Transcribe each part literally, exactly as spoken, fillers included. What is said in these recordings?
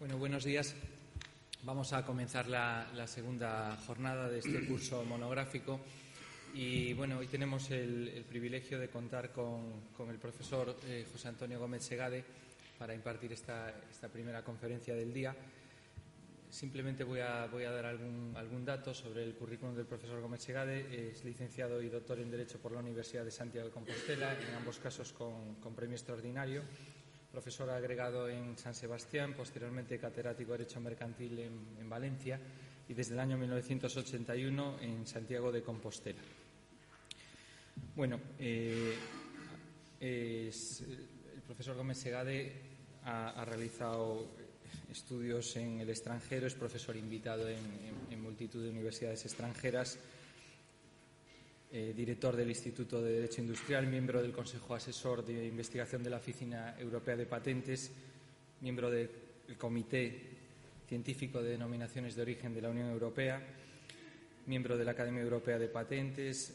Bueno, buenos días. Vamos a comenzar la, la segunda jornada de este curso monográfico y bueno, hoy tenemos el, el privilegio de contar con, con el profesor eh, José Antonio Gómez Segade para impartir esta, esta primera conferencia del día. Simplemente voy a, voy a dar algún, algún dato sobre el currículum del profesor Gómez Segade. Es licenciado y doctor en Derecho por la Universidad de Santiago de Compostela, en ambos casos con, con premio extraordinario. Profesor agregado en San Sebastián, posteriormente catedrático de Derecho Mercantil en, en Valencia y desde el año mil novecientos ochenta y uno en Santiago de Compostela. Bueno, eh, es, el profesor Gómez Segade ha, ha realizado estudios en el extranjero, es profesor invitado en, en, en multitud de universidades extranjeras, eh, director del Instituto de Derecho Industrial, miembro del Consejo Asesor de Investigación de la Oficina Europea de Patentes, miembro del Comité Científico de Denominaciones de Origen de la Unión Europea, miembro de la Academia Europea de Patentes.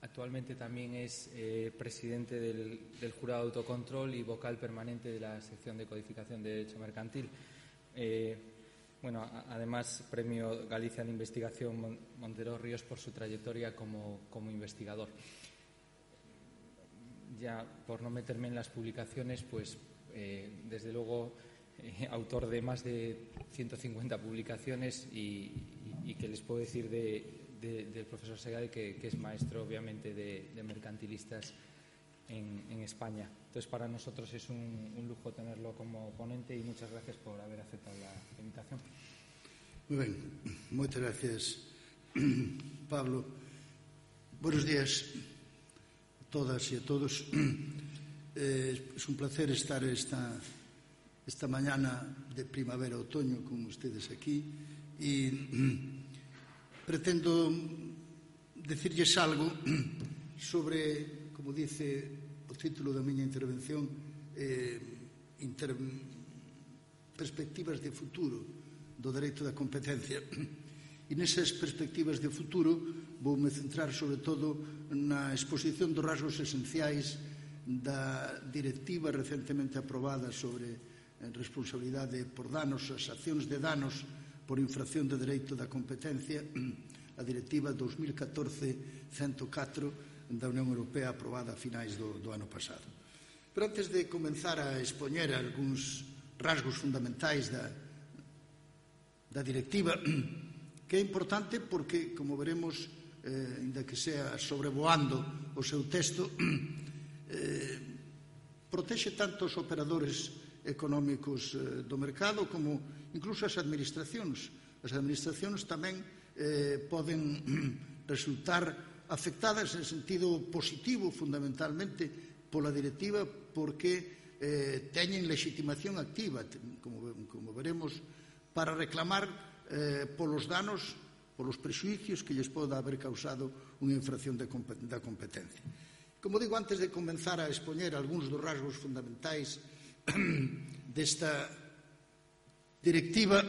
Actualmente también es eh, presidente del, del Jurado de Autocontrol y vocal permanente de la sección de Codificación de Derecho Mercantil. Eh, bueno, a, además, premio Galicia de Investigación Montero Ríos por su trayectoria como, como investigador. Ya por no meterme en las publicaciones, pues eh, desde luego eh, autor de más de ciento cincuenta publicaciones y, y, y que les puedo decir de, de, del profesor Segade que, que es maestro obviamente de, de mercantilistas en, en España. Entonces, para nosotros es un, un lujo tenerlo como ponente y muchas gracias por haber aceptado la invitación. Muy bien, muchas gracias, Pablo. Buenos días a todas y a todos. Eh, es un placer estar esta, esta mañana de primavera-otoño con ustedes aquí y pretendo decirles algo sobre, como dice o título da miña intervención, eh, inter... perspectivas de futuro do dereito da competencia. E nesas perspectivas de futuro voume centrar sobre todo na exposición dos rasgos esenciais da directiva recentemente aprobada sobre responsabilidade por danos, as accións de danos por infracción de dereito da competencia, a directiva dos mil catorce ciento catro da Unión Europea aprobada a finais do, do ano pasado. Pero antes de comenzar a expoñer algúns rasgos fundamentais da, da directiva, que é importante porque, como veremos, eh, ainda que sea sobrevoando o seu texto, eh, protexe tanto os operadores económicos eh, do mercado como incluso as administracións. As administracións tamén eh, poden resultar afectadas en sentido positivo, fundamentalmente, pola directiva, porque eh, teñen legitimación activa, como, como veremos, para reclamar eh, polos danos, polos prexuicios que lles poda haber causado unha infracción de, da competencia. Como digo, antes de comenzar a expoñer algúns dos rasgos fundamentais desta directiva,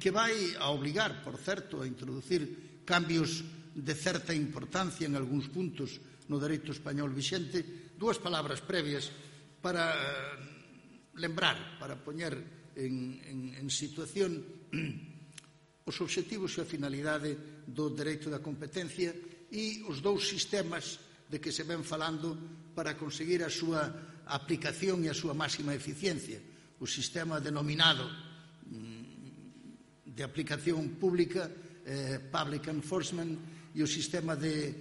que vai a obligar, por certo, a introducir cambios de certa importancia en algúns puntos no dereito español vixente, dúas palabras previas para lembrar, para poñer en, en, en situación os obxectivos e a finalidade do dereito da competencia e os dous sistemas de que se ven falando para conseguir a súa aplicación e a súa máxima eficiencia. O sistema denominado de aplicación pública, eh, public enforcement, e o sistema de,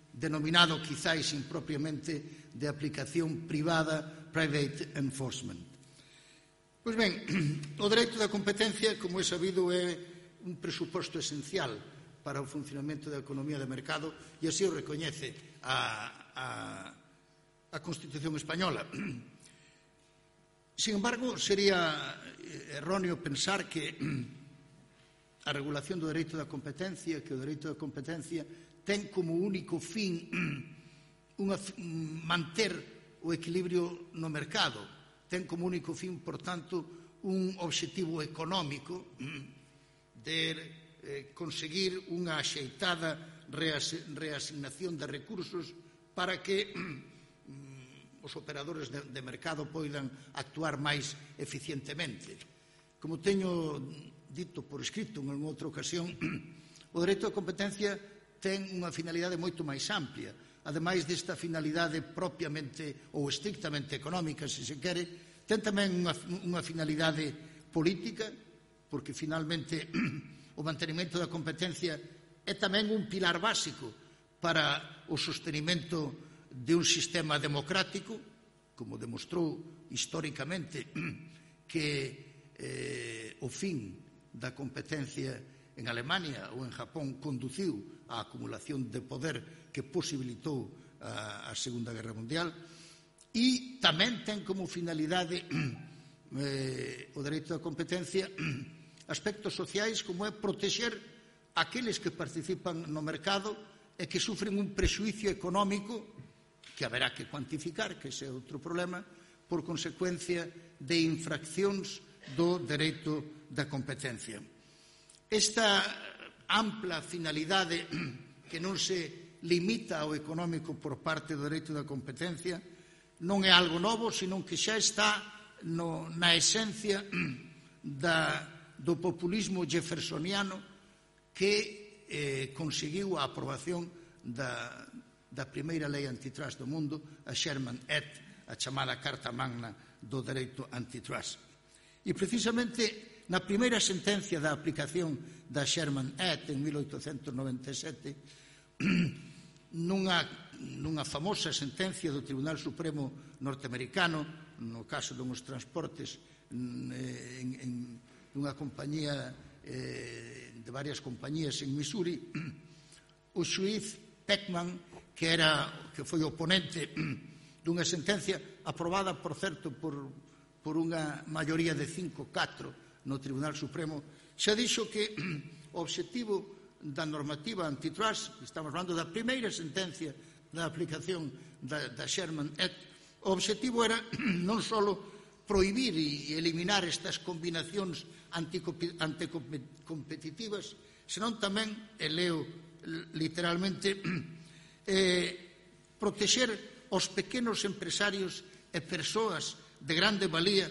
denominado quizáis impropiamente de aplicación privada, private enforcement. Pois ben, o dereito da competencia, como é sabido, é un presuposto esencial para o funcionamento da economía de mercado e así o recoñece a, a, a Constitución española. Sin embargo, sería erróneo pensar que a regulación do dereito da competencia, que o dereito da competencia ten como único fin unha, manter o equilibrio no mercado, ten como único fin, por tanto, un obxectivo económico de eh, conseguir unha axeitada reas, reasignación de recursos para que os operadores de, de mercado poidan actuar máis eficientemente. Como teño dito por escrito en outra ocasión, o dereito á competencia ten unha finalidade moito máis amplia. Ademais desta finalidade propiamente ou estrictamente económica, se se quere, ten tamén unha, unha finalidade política, porque finalmente o mantenimento da competencia é tamén un pilar básico para o sostenimento de un sistema democrático, como demostrou históricamente que eh, o fin da competencia en Alemania ou en Japón conduciu á acumulación de poder que posibilitou a, a Segunda Guerra Mundial, e tamén ten como finalidade eh, o dereito da competencia aspectos sociais como é protexer aqueles que participan no mercado e que sufren un prexuicio económico que haberá que cuantificar, que ese é outro problema, por consecuencia de infraccións do dereito da competencia. Esta ampla finalidade que non se limita ao económico por parte do dereito da competencia non é algo novo, senón que xa está no, na esencia da, do populismo jeffersoniano que eh, conseguiu a aprobación da, da primeira lei antitrust do mundo, a Sherman Act, a chamada Carta Magna do dereito antitrust. E precisamente na primeira sentencia da aplicación da Sherman Act en mil oitocentos noventa e sete, nunha, nunha famosa sentencia do Tribunal Supremo norteamericano, no caso dos transportes en, en, nunha compañía eh, de varias compañías en Missouri, o xuiz Peckman, que era que foi oponente dunha sentencia aprobada, por certo, por, por unha maioría de cinco a catro no Tribunal Supremo, xa dixo que o obxectivo da normativa antitrust, estamos falando da primeira sentencia da aplicación da, da Sherman Act, o obxectivo era non só prohibir e eliminar estas combinacións anticompetitivas, senón tamén, e leo literalmente, eh, protexer os pequenos empresarios e persoas de grande valía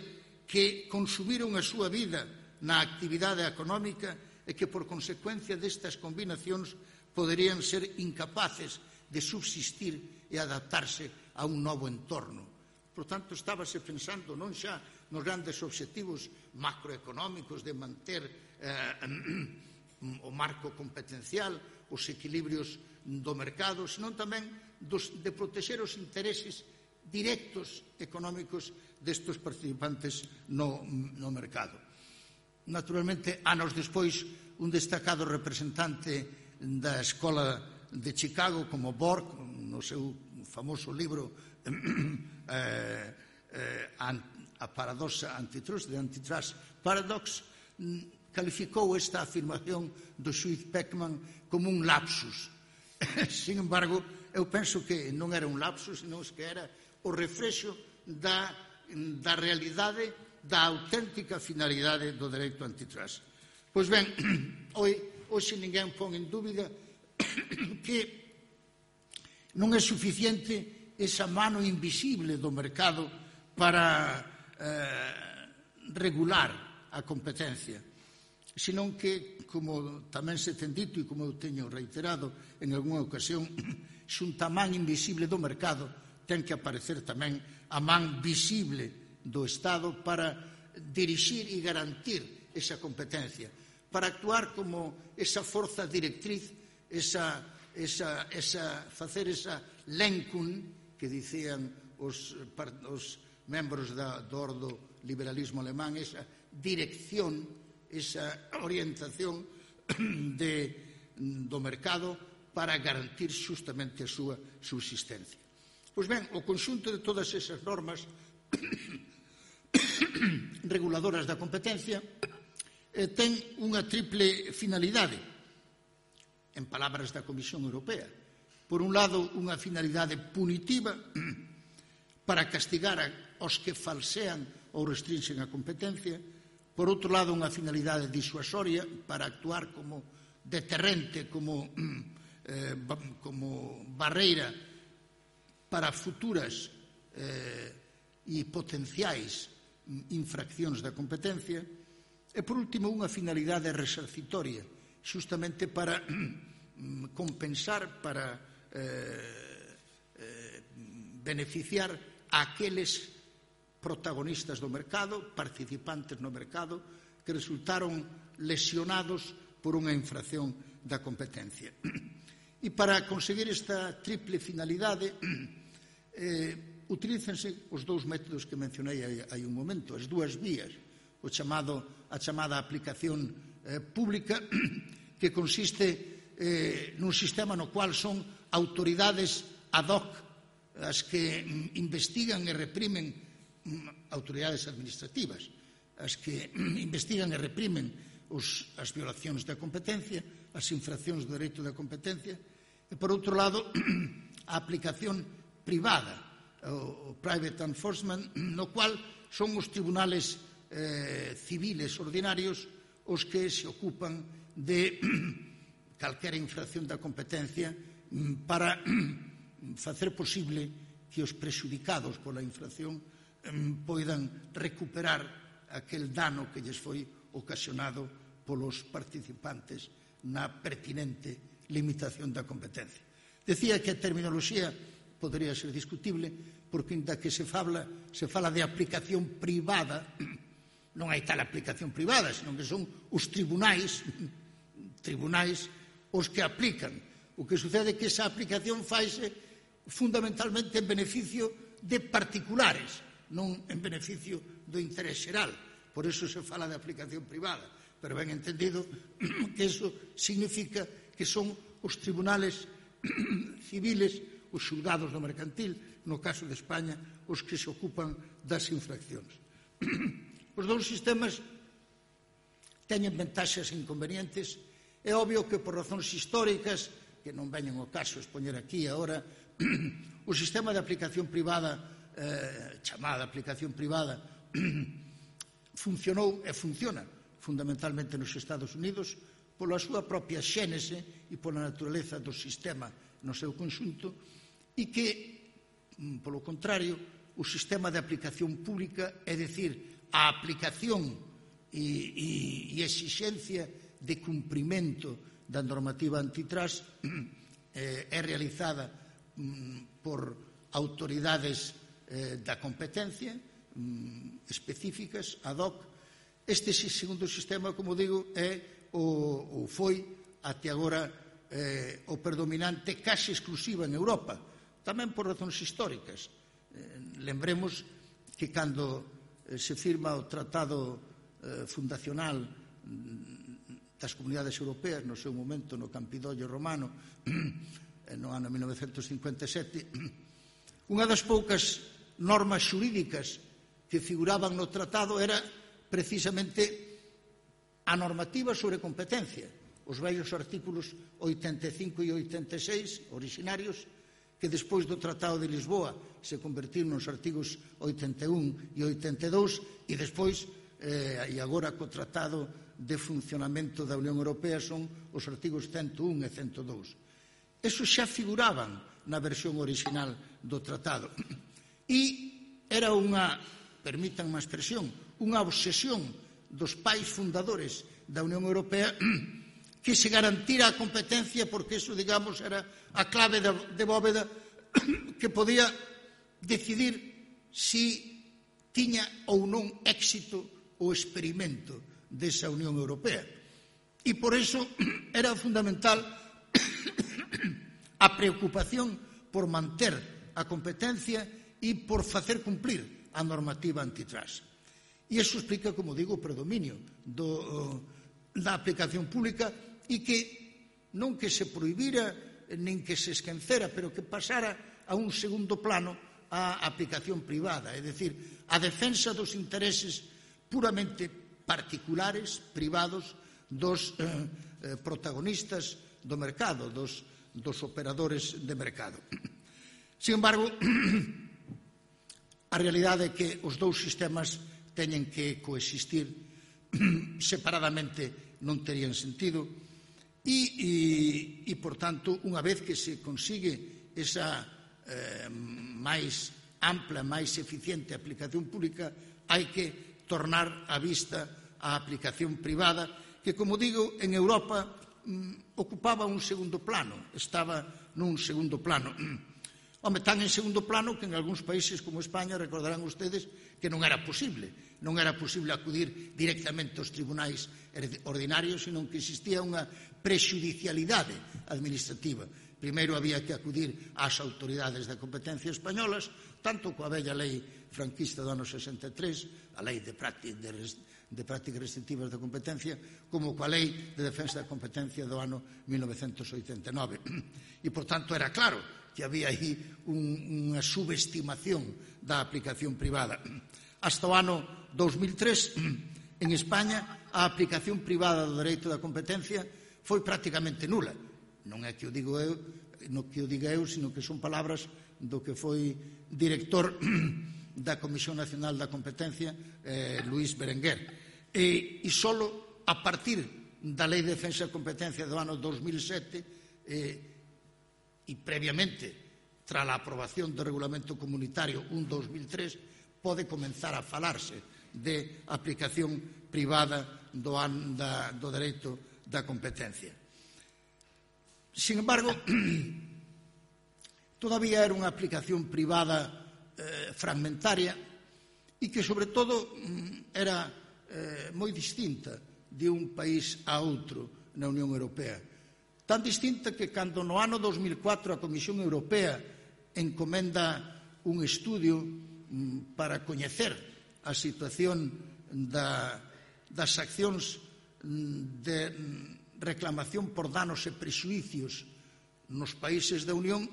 que consumiron a súa vida na actividade económica e que, por consecuencia destas combinacións, poderían ser incapaces de subsistir e adaptarse a un novo entorno. Por tanto, estábase pensando non xa nos grandes obxectivos macroeconómicos de manter eh, o marco competencial, os equilibrios do mercado, senón tamén dos, de protexer os intereses directos económicos destes participantes no, no mercado. Naturalmente, anos despois, un destacado representante da Escola de Chicago, como Borg, no seu famoso libro eh, eh, a paradoxa antitrust, de Antitrust Paradox, calificou esta afirmación do xuiz Peckman como un lapsus. Sin embargo, eu penso que non era un lapsus, senón que era o reflexo da, da realidade, da auténtica finalidade do dereito antitrust. Pois ben, hoxe ninguén pon en dúbida que non é suficiente esa mano invisible do mercado para eh, regular a competencia, senón que, como tamén se ten dito e como eu teño reiterado en algunha ocasión, xunta a man invisible do mercado ten que aparecer tamén a man visible do Estado para dirixir e garantir esa competencia, para actuar como esa forza directriz, esa, esa, esa, facer esa Lenkung que dicían os, os membros da, do ordo liberalismo alemán, esa dirección, esa orientación de, do mercado para garantir justamente a súa subsistencia. Pois ben, o conxunto de todas esas normas reguladoras da competencia eh, ten unha triple finalidade, en palabras da Comisión Europea. Por un lado, unha finalidade punitiva para castigar aos que falsean ou restrinxen a competencia. Por outro lado, unha finalidade disuasoria para actuar como deterrente, como, eh, como barreira para futuras eh, e potenciais infraccións da competencia. E, por último, unha finalidade resarcitoria, xustamente para compensar, para eh, eh, beneficiar a aqueles protagonistas do mercado, participantes no mercado, que resultaron lesionados por unha infracción da competencia. E para conseguir esta triple finalidade, eh, utilícense os dous métodos que mencionei hai un momento, as dúas vías, o chamado, a chamada aplicación eh, pública, que consiste eh, nun sistema no cual son autoridades ad hoc as que mm, investigan e reprimen, mm, autoridades administrativas, as que mm, investigan e reprimen os, as violacións da competencia, as infraccións do dereito da competencia, e, por outro lado, a aplicación privada, o, o private enforcement, no cual son os tribunales eh, civiles ordinarios os que se ocupan de calquera infracción da competencia para facer posible que os prexudicados pola infracción poidan recuperar aquel dano que lles foi ocasionado polos participantes na pertinente limitación da competencia. Decía que a terminoloxía podería ser discutible porque, inda que se fala, se fala de aplicación privada, non hai tal aplicación privada, senón que son os tribunais, tribunais os que aplican. O que sucede é que esa aplicación faise fundamentalmente en beneficio de particulares, non en beneficio do interés xeral. Por iso se fala de aplicación privada. Pero ben entendido que iso significa que son os tribunales civiles, os xulgados do mercantil, no caso de España, os que se ocupan das infraccións. Os dous sistemas teñen ventaxas e inconvenientes. É obvio que por razóns históricas, que non veñen ao caso expoñer aquí agora, o sistema de aplicación privada, eh, chamada aplicación privada, funcionou e funciona fundamentalmente nos Estados Unidos pola súa propia xénese e pola naturaleza do sistema no seu conxunto, e que, polo contrario, o sistema de aplicación pública, é dicir, a aplicación e, e, e exixencia de cumprimento da normativa antitrust eh, é realizada mm, por autoridades eh, da competencia mm, específicas, ad hoc. Este segundo sistema, como digo, é o, o foi até agora eh, o predominante case exclusiva en Europa, tamén por razóns históricas. Eh, lembremos que cando se firma o Tratado eh, Fundacional das Comunidades Europeas, no seu momento no Campidoglio Romano, no ano mil novecentos cincuenta e sete, unha das poucas normas xurídicas que figuraban no tratado era precisamente a normativa sobre competencia, os vellos artículos oitenta e cinco e oitenta e seis orixinarios, que despois do Tratado de Lisboa se convertiron nos artigos oitenta e un e oitenta e dous, e despois, eh, e agora co Tratado de Funcionamento da Unión Europea, son os artigos cento un e cento dous. Esos xa figuraban na versión original do Tratado. E era unha, permítanme a expresión, unha obsesión dos pais fundadores da Unión Europea que se garantira a competencia, porque eso, digamos, era a clave de bóveda que podía decidir si tiña ou non éxito o experimento desa Unión Europea. E por eso era fundamental a preocupación por manter a competencia e por facer cumplir a normativa antitrust. E iso explica, como digo, o predominio do, da aplicación pública, e que non que se prohibira nin que se esquecera, pero que pasara a un segundo plano a aplicación privada, é dicir, a defensa dos intereses puramente particulares, privados, dos eh, protagonistas do mercado, dos, dos operadores de mercado. Sin embargo, a realidade é que os dous sistemas teñen que coexistir separadamente, non terían sentido. E, e, e, por tanto, unha vez que se consigue esa eh, máis ampla, máis eficiente aplicación pública, hai que tornar a vista a aplicación privada, que, como digo, en Europa mm, ocupaba un segundo plano, estaba nun segundo plano. Home, tan en segundo plano que en algúns países como España recordarán ustedes que non era posible, non era posible acudir directamente aos tribunais ordinarios, senón que existía unha prexudicialidade administrativa. Primeiro había que acudir ás autoridades da competencia españolas, tanto coa bella lei franquista do ano sesenta e tres, a lei de prácticas de, de prácticas restrictivas da competencia, como coa lei de defensa da competencia do ano mil novecentos oitenta e nove. E, por tanto, era claro que había aí un, unha subestimación da aplicación privada. Hasta o ano dos mil tres, en España, a aplicación privada do dereito da competencia foi prácticamente nula. Non é que o digo eu, non que o diga eu, sino que son palabras do que foi director da Comisión Nacional da Competencia, eh, Luís Berenguer. E, e solo a partir da Lei de Defensa da Competencia do ano dos mil sete eh, e previamente tras a aprobación do Regulamento Comunitario un barra dos mil tres pode comenzar a falarse de aplicación privada do, an, da, do dereito da competencia. Sin embargo, todavía era unha aplicación privada eh, fragmentaria e que, sobre todo, era eh, moi distinta de un país a outro na Unión Europea. Tan distinta que, cando no ano dos mil catro a Comisión Europea encomenda un estudio mm, para coñecer a situación da, das accións de reclamación por danos e prexuicios nos países da Unión,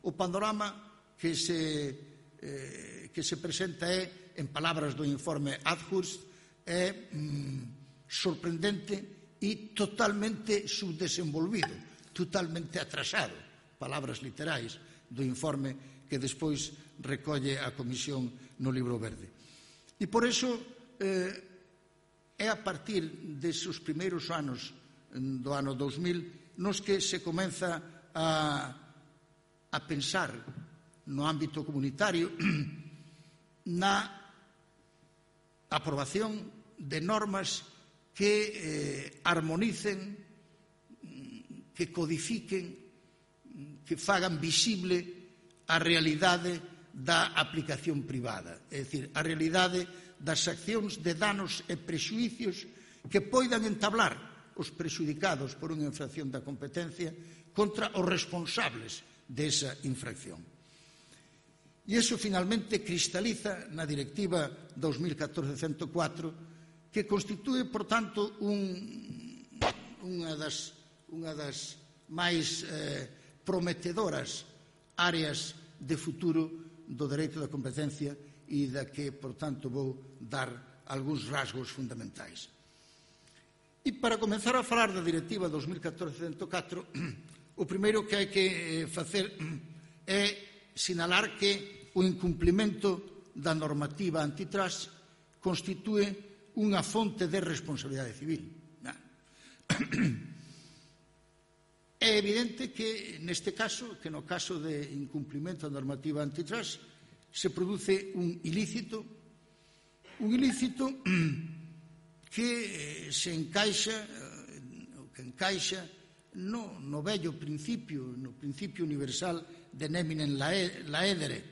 o panorama que se, eh, que se presenta é, en palabras do informe Adhurst, é mm, sorprendente e totalmente subdesenvolvido, totalmente atrasado, palabras literais do informe que despois recolle a Comisión no Libro Verde. E por iso eh, é a partir deses primeiros anos do ano dos mil nos que se comeza a, a pensar no ámbito comunitario na aprobación de normas que eh, armonicen, que codifiquen, que fagan visible a realidade da aplicación privada, é dicir, a realidade das accións de danos e prexuicios que poidan entablar os prexudicados por unha infracción da competencia contra os responsables desa infracción. E iso finalmente cristaliza na Directiva dos mil catorce cento catro, que constitúe, por tanto, un, unha, das, unha das máis eh, prometedoras áreas de futuro do dereito da competencia e da que, por tanto, vou dar algúns rasgos fundamentais. E para comenzar a falar da Directiva dos mil catorce cento catro, o primeiro que hai que facer é sinalar que o incumplimento da normativa antitrust constitúe unha fonte de responsabilidade civil. É evidente que neste caso, que no caso de incumplimento da normativa antitrust, se produce un ilícito, un ilícito que se encaixa, que encaixa no, no vello principio, no principio universal de neminem laedere,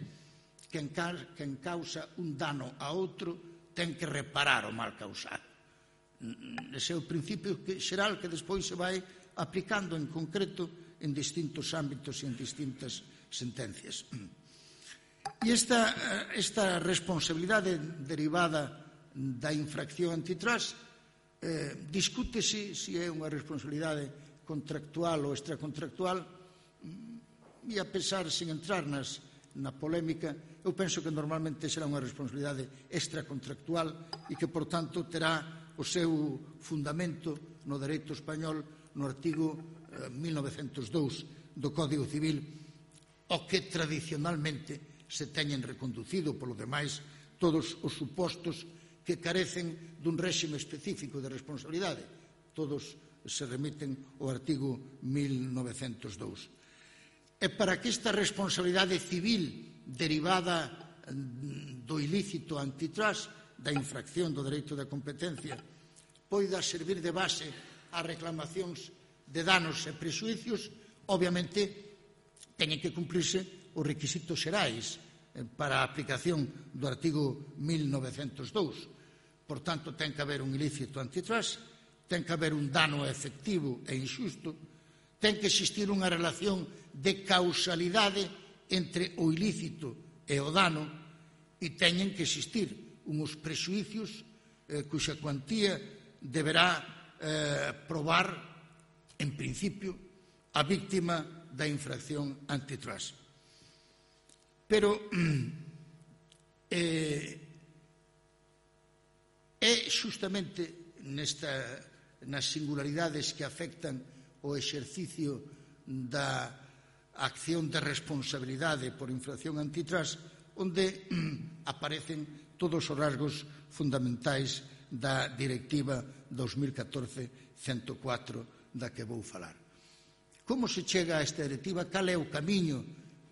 que en, que en causa un dano a outro ten que reparar o mal causado. Ese é o principio que, xeral que despois se vai aplicando en concreto en distintos ámbitos e en distintas sentencias. E esta, esta responsabilidade derivada da infracción antitrust eh, discútese se é unha responsabilidade contractual ou extracontractual e a pesar, sin entrar nas, na polémica, eu penso que normalmente será unha responsabilidade extracontractual e que, por tanto, terá o seu fundamento no dereito español no artigo eh, mil novecentos e dous do Código Civil, o que tradicionalmente se teñen reconducido polo demais todos os supostos que carecen dun réxime específico de responsabilidade. Todos se remiten ao artigo mil novecentos e dous. E para que esta responsabilidade civil derivada do ilícito antitrust, da infracción do dereito da competencia, poida servir de base ás reclamacións de danos e prexuicios, obviamente teñen que cumplirse os requisitos xerais para a aplicación do artigo mil novecentos e dous. Por tanto, ten que haber un ilícito antitrust, ten que haber un dano efectivo e inxusto, ten que existir unha relación de causalidade entre o ilícito e o dano e teñen que existir uns prexuicios eh, cuxa cuantía deberá eh, probar, en principio, a víctima da infracción antitrust. Pero eh, é xustamente nesta, nas singularidades que afectan o exercicio da acción de responsabilidade por infracción antitrust onde aparecen todos os rasgos fundamentais da Directiva dos mil catorce cento catro da que vou falar. Como se chega a esta directiva? Cal é o camiño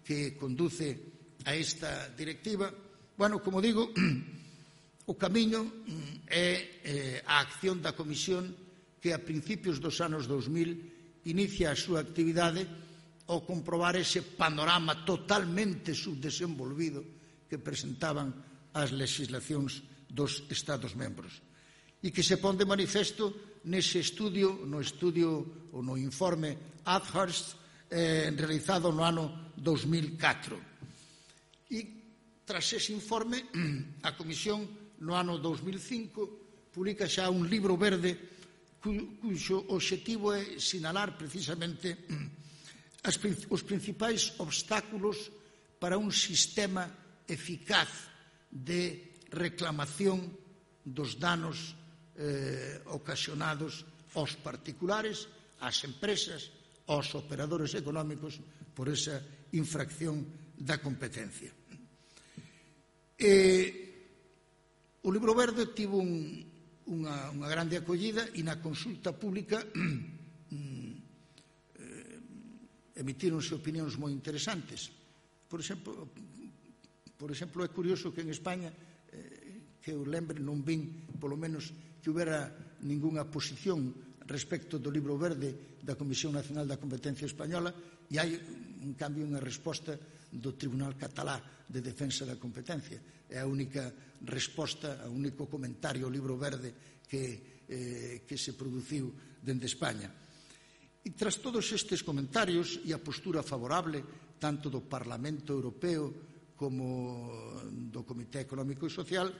que conduce a esta directiva? Bueno, como digo, o camiño é a acción da Comisión que a principios dos anos dos mil inicia a súa actividade ao comprobar ese panorama totalmente subdesenvolvido que presentaban as legislacións dos Estados membros e que se pon de manifesto nese estudio, no estudio ou no informe Athurst eh, realizado no ano dos mil catro. E tras ese informe, a Comisión no ano dos mil cinco publica xa un libro verde cuxo obxectivo é sinalar precisamente as, os principais obstáculos para un sistema eficaz de reclamación dos danos eh, ocasionados aos particulares, ás empresas, aos operadores económicos por esa infracción da competencia. E, o libro verde tivo un, unha, unha grande acollida e na consulta pública eh, emitíronse opinións moi interesantes. Por exemplo, por exemplo, é curioso que en España, eh, que eu lembre, non vin, polo menos, que houbera ningunha posición respecto do libro verde da Comisión Nacional da Competencia Española e hai, en cambio, unha resposta do Tribunal Catalá de Defensa da Competencia. É a única resposta, o único comentario ao libro verde que, eh, que se produciu dende España. E tras todos estes comentarios e a postura favorable tanto do Parlamento Europeo como do Comité Económico e Social,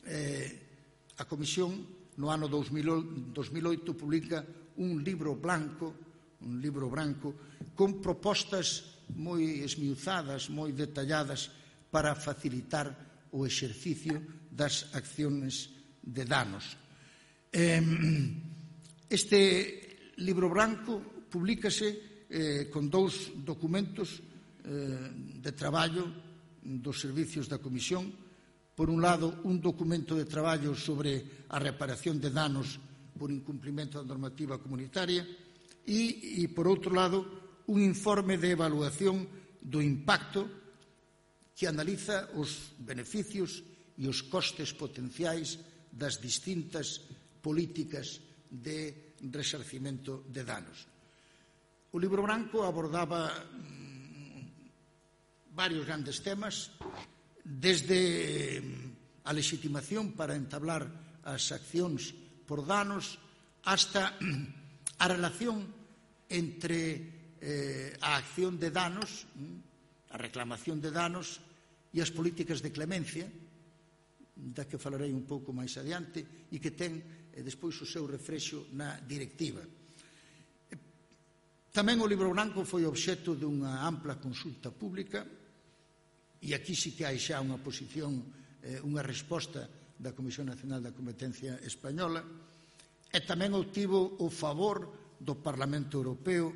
eh, a Comisión no ano dos mil oito publica un libro blanco, un libro branco con propostas moi esmiuzadas, moi detalladas para facilitar o exercicio das accións de danos. Este libro branco publícase eh, con dous documentos eh, de traballo dos servicios da Comisión. Por un lado, un documento de traballo sobre a reparación de danos por incumprimento da normativa comunitaria e, e por outro lado, un informe de evaluación do impacto que analiza os beneficios e os costes potenciais das distintas políticas de resarcimento de danos. O libro branco abordaba mm, varios grandes temas, desde a legitimación para entablar as accións por danos hasta a relación entre eh, a acción de danos, a reclamación de danos e as políticas de clemencia, da que falarei un pouco máis adiante, e que ten eh, despois o seu refrexo na directiva. Tamén o libro branco foi obxecto dunha ampla consulta pública e aquí sí que hai xa unha posición, eh, unha resposta da Comisión Nacional da Competencia Española e tamén obtivo o favor do Parlamento Europeo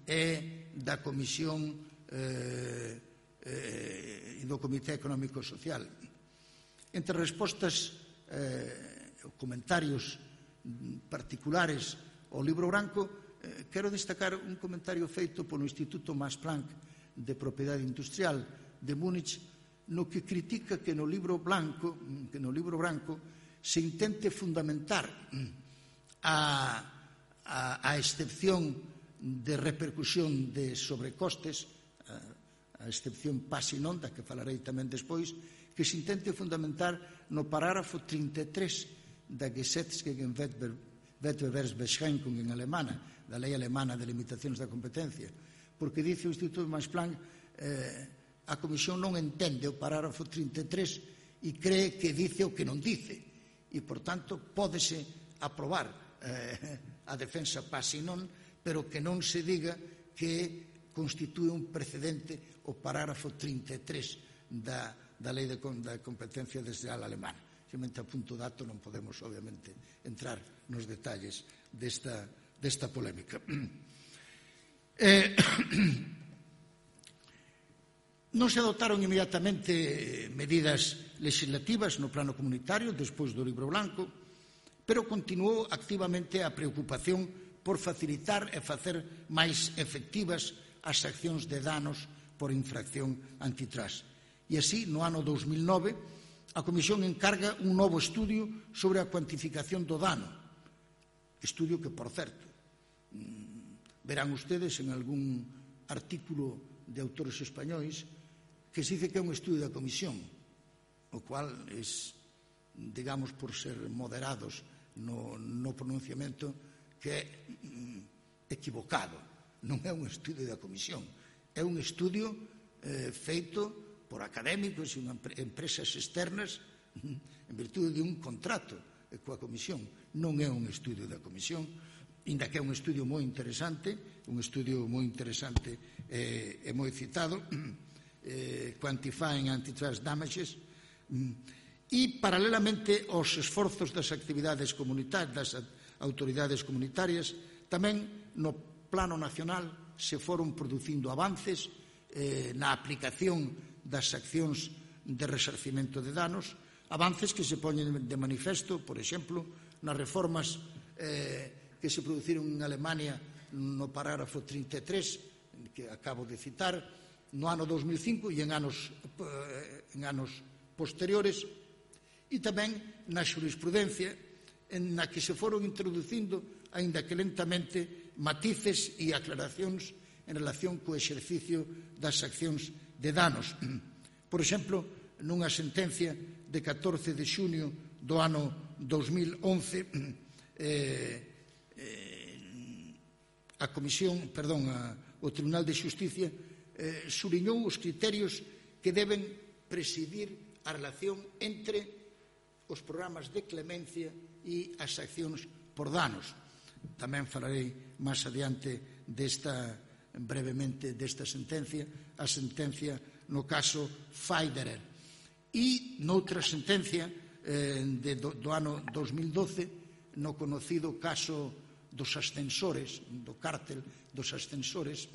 e da Comisión eh, eh, e do Comité Económico e Social. Entre respostas eh, comentarios particulares ao libro branco, eh, quero destacar un comentario feito polo Instituto Max Planck de Propiedade Industrial de Múnich, no que critica que no libro branco, que no libro branco se intente fundamentar a, a, a excepción de repercusión de sobrecostes, a, a excepción pase non, da que falarei tamén despois, que se intente fundamentar no parágrafo trinta e tres da Gesetzgebungsbeschränkung en alemana, da lei alemana de limitacións da competencia, porque dice o Instituto Max Planck, eh, a Comisión non entende o parágrafo trinta e tres e cree que dice o que non dice, e, por tanto, pódese aprobar eh, a defensa pase non, pero que non se diga que constitúe un precedente o parágrafo trinta e tres da da lei de, da competencia desleal alemana. Xemente a punto dato non podemos, obviamente, entrar nos detalles desta, desta polémica. Eh, non se adotaron inmediatamente medidas legislativas no plano comunitario despois do Libro Blanco, pero continuou activamente a preocupación por facilitar e facer máis efectivas as accións de danos por infracción antitrust. E así, no ano dous mil nove, a Comisión encarga un novo estudio sobre a cuantificación do dano. Estudio que, por certo, verán ustedes en algún artículo de autores españois que se dice que é un estudio da Comisión, o cual é, digamos, por ser moderados no, no pronunciamento, que é equivocado. Non é un estudio da Comisión, é un estudio eh, feito por académicos e empresas externas en virtude de un contrato coa Comisión. Non é un estudio da Comisión, inda que é un estudio moi interesante, un estudio moi interesante e, e moi citado, eh, Quantifying Antitrust Damages, e paralelamente aos esforzos das actividades comunitarias, das autoridades comunitarias, tamén no plano nacional se foron producindo avances eh, na aplicación das accións de resarcimento de danos, avances que se poñen de manifesto, por exemplo, nas reformas eh, que se produciron en Alemania no parágrafo trinta e tres, que acabo de citar, no ano dous mil cinco e en anos, eh, en anos posteriores, e tamén na xurisprudencia en na que se foron introducindo, aínda que lentamente, matices e aclaracións en relación co exercicio das accións de danos. Por exemplo, nunha sentencia de catorce de xunio do ano dous mil once, eh, eh, a Comisión, perdón, a, o Tribunal de Xusticia eh, subliñou os criterios que deben presidir a relación entre os programas de clemencia e as accións por danos. Tamén falarei máis adiante desta brevemente desta sentencia, a sentencia no caso Federer. E noutra sentencia eh, de, do, do ano dous mil doce, no conocido caso dos ascensores, do cártel dos ascensores,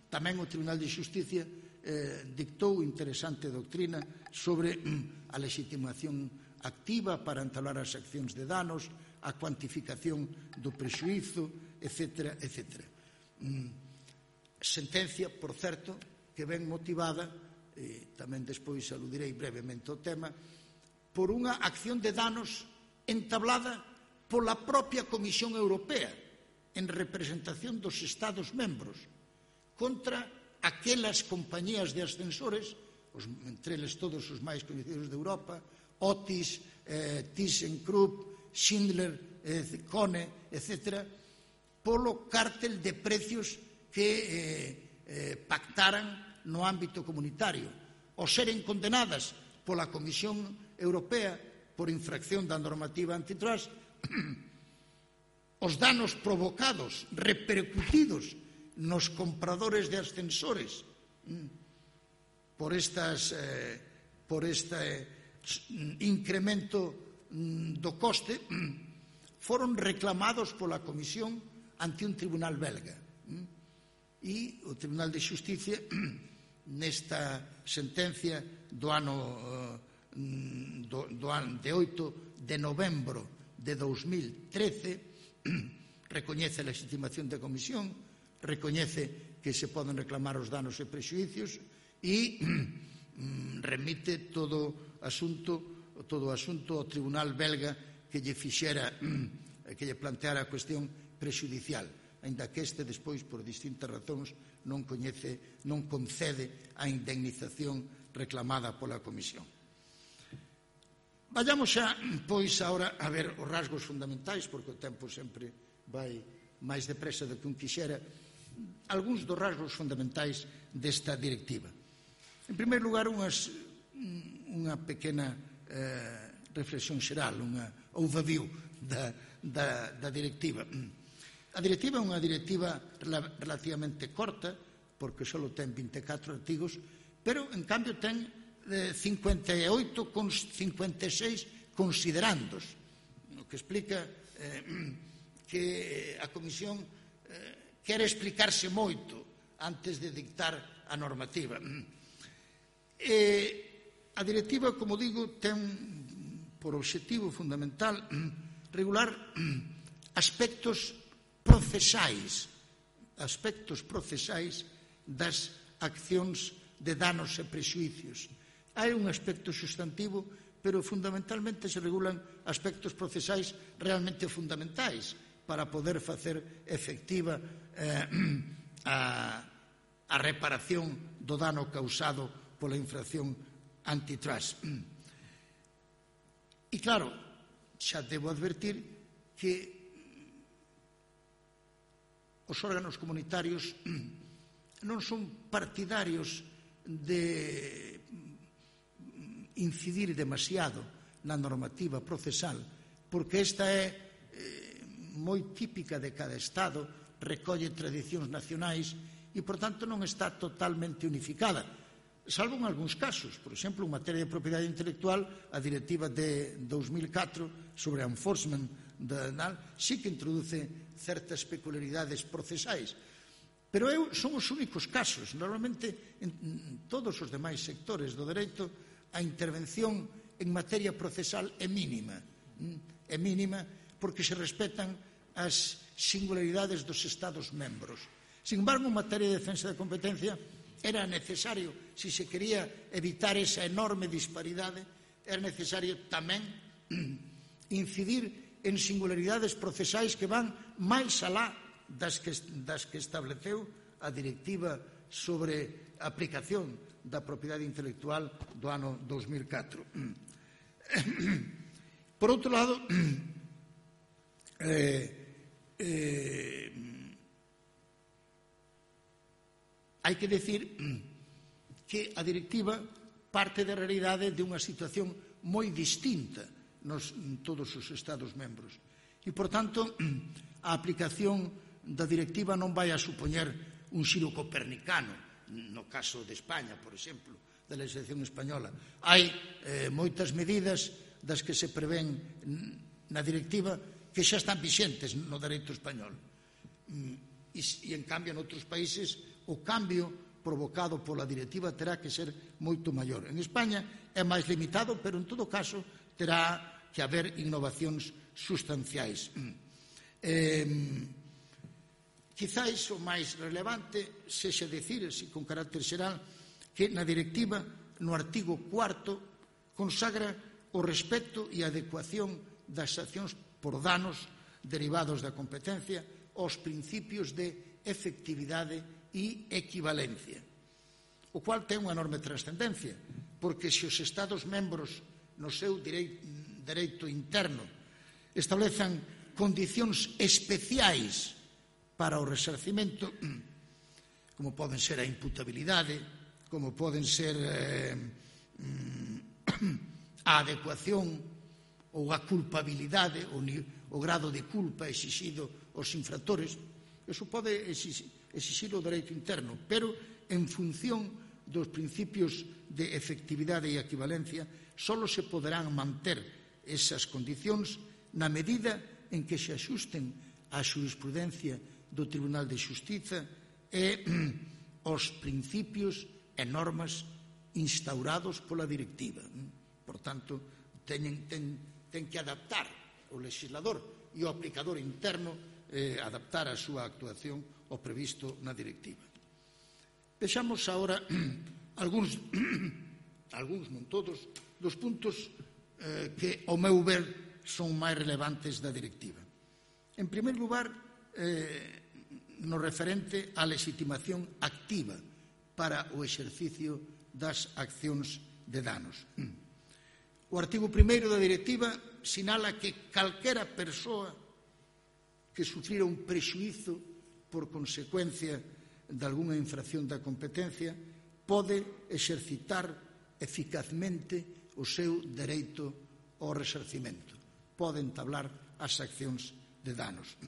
tamén o Tribunal de Xusticia eh, dictou interesante doctrina sobre mm, a legitimación activa para entablar as accións de danos, a cuantificación do prexuízo, etcétera, etcétera. Mm, sentencia, por certo, que ven motivada, e tamén despois aludirei brevemente ao tema, por unha acción de danos entablada pola propia Comisión Europea en representación dos Estados membros contra aquelas compañías de ascensores, os, entre eles todos os máis coñecidos de Europa, Otis, eh, ThyssenKrupp, Schindler, eh, Kone, etcétera, polo cártel de precios que eh, eh, pactaran no ámbito comunitario, ou seren condenadas pola Comisión Europea por infracción da normativa antitrust, os danos provocados, repercutidos nos compradores de ascensores por estas eh, por este eh, incremento mm, do coste foron reclamados pola Comisión ante un tribunal belga. E o Tribunal de Xusticia, nesta sentencia do ano do, do ano de oito de novembro de dous mil trece, recoñece a legitimación da Comisión, recoñece que se poden reclamar os danos e prexuicios e remite todo asunto todo o asunto ao Tribunal belga que lle fixera que lle planteara a cuestión prexudicial, aínda que este despois, por distintas razóns, non coñece, non concede a indemnización reclamada pola Comisión. Vayamos xa, pois, agora a ver os rasgos fundamentais, porque o tempo sempre vai máis depresa do que un quixera, algúns dos rasgos fundamentais desta directiva. En primeiro lugar, unhas, unha pequena eh, reflexión xeral, unha overview da, da, da directiva. A directiva é unha directiva relativamente corta, porque só ten vinte e catro artigos, pero, en cambio, ten eh, cincuenta e oito con cincuenta e seis considerandos, o que explica eh, que a Comisión eh, quere explicarse moito antes de dictar a normativa. E a directiva, como digo, ten por obxectivo fundamental regular aspectos procesais, aspectos procesais das accións de danos e prexuicios. Hai un aspecto sustantivo, pero fundamentalmente se regulan aspectos procesais realmente fundamentais para poder facer efectiva eh, a, a reparación do dano causado pola infracción antitrust. E claro, xa debo advertir que os órganos comunitarios non son partidarios de incidir demasiado na normativa procesal, porque esta é eh, moi típica de cada Estado, recolle tradicións nacionais e, por tanto, non está totalmente unificada, salvo en algúns casos. Por exemplo, en materia de propiedade intelectual, a directiva de dous mil catro sobre enforcement da, sí que introduce certas peculiaridades procesais, pero eu, son os únicos casos. Normalmente, en todos os demais sectores do dereito, a intervención en materia procesal é mínima. É mínima porque se respetan as singularidades dos Estados membros. Sin embargo, en materia de defensa da competencia, era necesario, se se quería evitar esa enorme disparidade, era necesario tamén incidir en singularidades procesais que van máis alá das que, das que estableceu a directiva sobre a aplicación da propiedade intelectual do ano dous mil catro. Por outro lado, eh, eh, hai que decir que a directiva parte da realidade de unha situación moi distinta nos todos os Estados membros. E, por tanto, a aplicación da directiva non vai a supoñer un xiro copernicano, no caso de España, por exemplo, da legislación española. Hai eh, moitas medidas das que se prevén na directiva que xa están vixentes no dereito español. E, e en cambio, en outros países, o cambio provocado pola directiva terá que ser moito maior. En España é máis limitado, pero en todo caso terá que haber innovacións sustanciais. Eh, Quizáis o máis relevante sexa decir, así con carácter xeral, que na directiva, no artigo cuarto, consagra o respecto e adecuación das accións por danos derivados da competencia aos principios de efectividade e equivalencia, o cual ten unha enorme trascendencia, porque se os Estados membros no seu dereito interno establezan condicións especiais para o resarcimento, como poden ser a imputabilidade, como poden ser eh, a adecuación ou a culpabilidade, o, o grado de culpa exixido aos infractores, eso pode exixir o dereito interno, pero en función dos principios de efectividade e equivalencia, só se poderán manter esas condicións na medida en que se axusten á xurisprudencia do Tribunal de Xustiza e os principios e normas instaurados pola directiva. Por tanto, ten, ten, ten que adaptar o legislador e o aplicador interno, eh, adaptar a súa actuación ao previsto na directiva. Vexamos agora algúns, algúns, non todos, dos puntos eh, que, ao meu ver, son máis relevantes da directiva. En primeiro lugar, eh, no referente á legitimación activa para o exercicio das accións de danos. O artigo primeiro da directiva sinala que calquera persoa que sufrira un prexuízo por consecuencia de algunha infracción da competencia pode exercitar eficazmente o seu dereito ao resarcimento, pode entablar as accións de danos.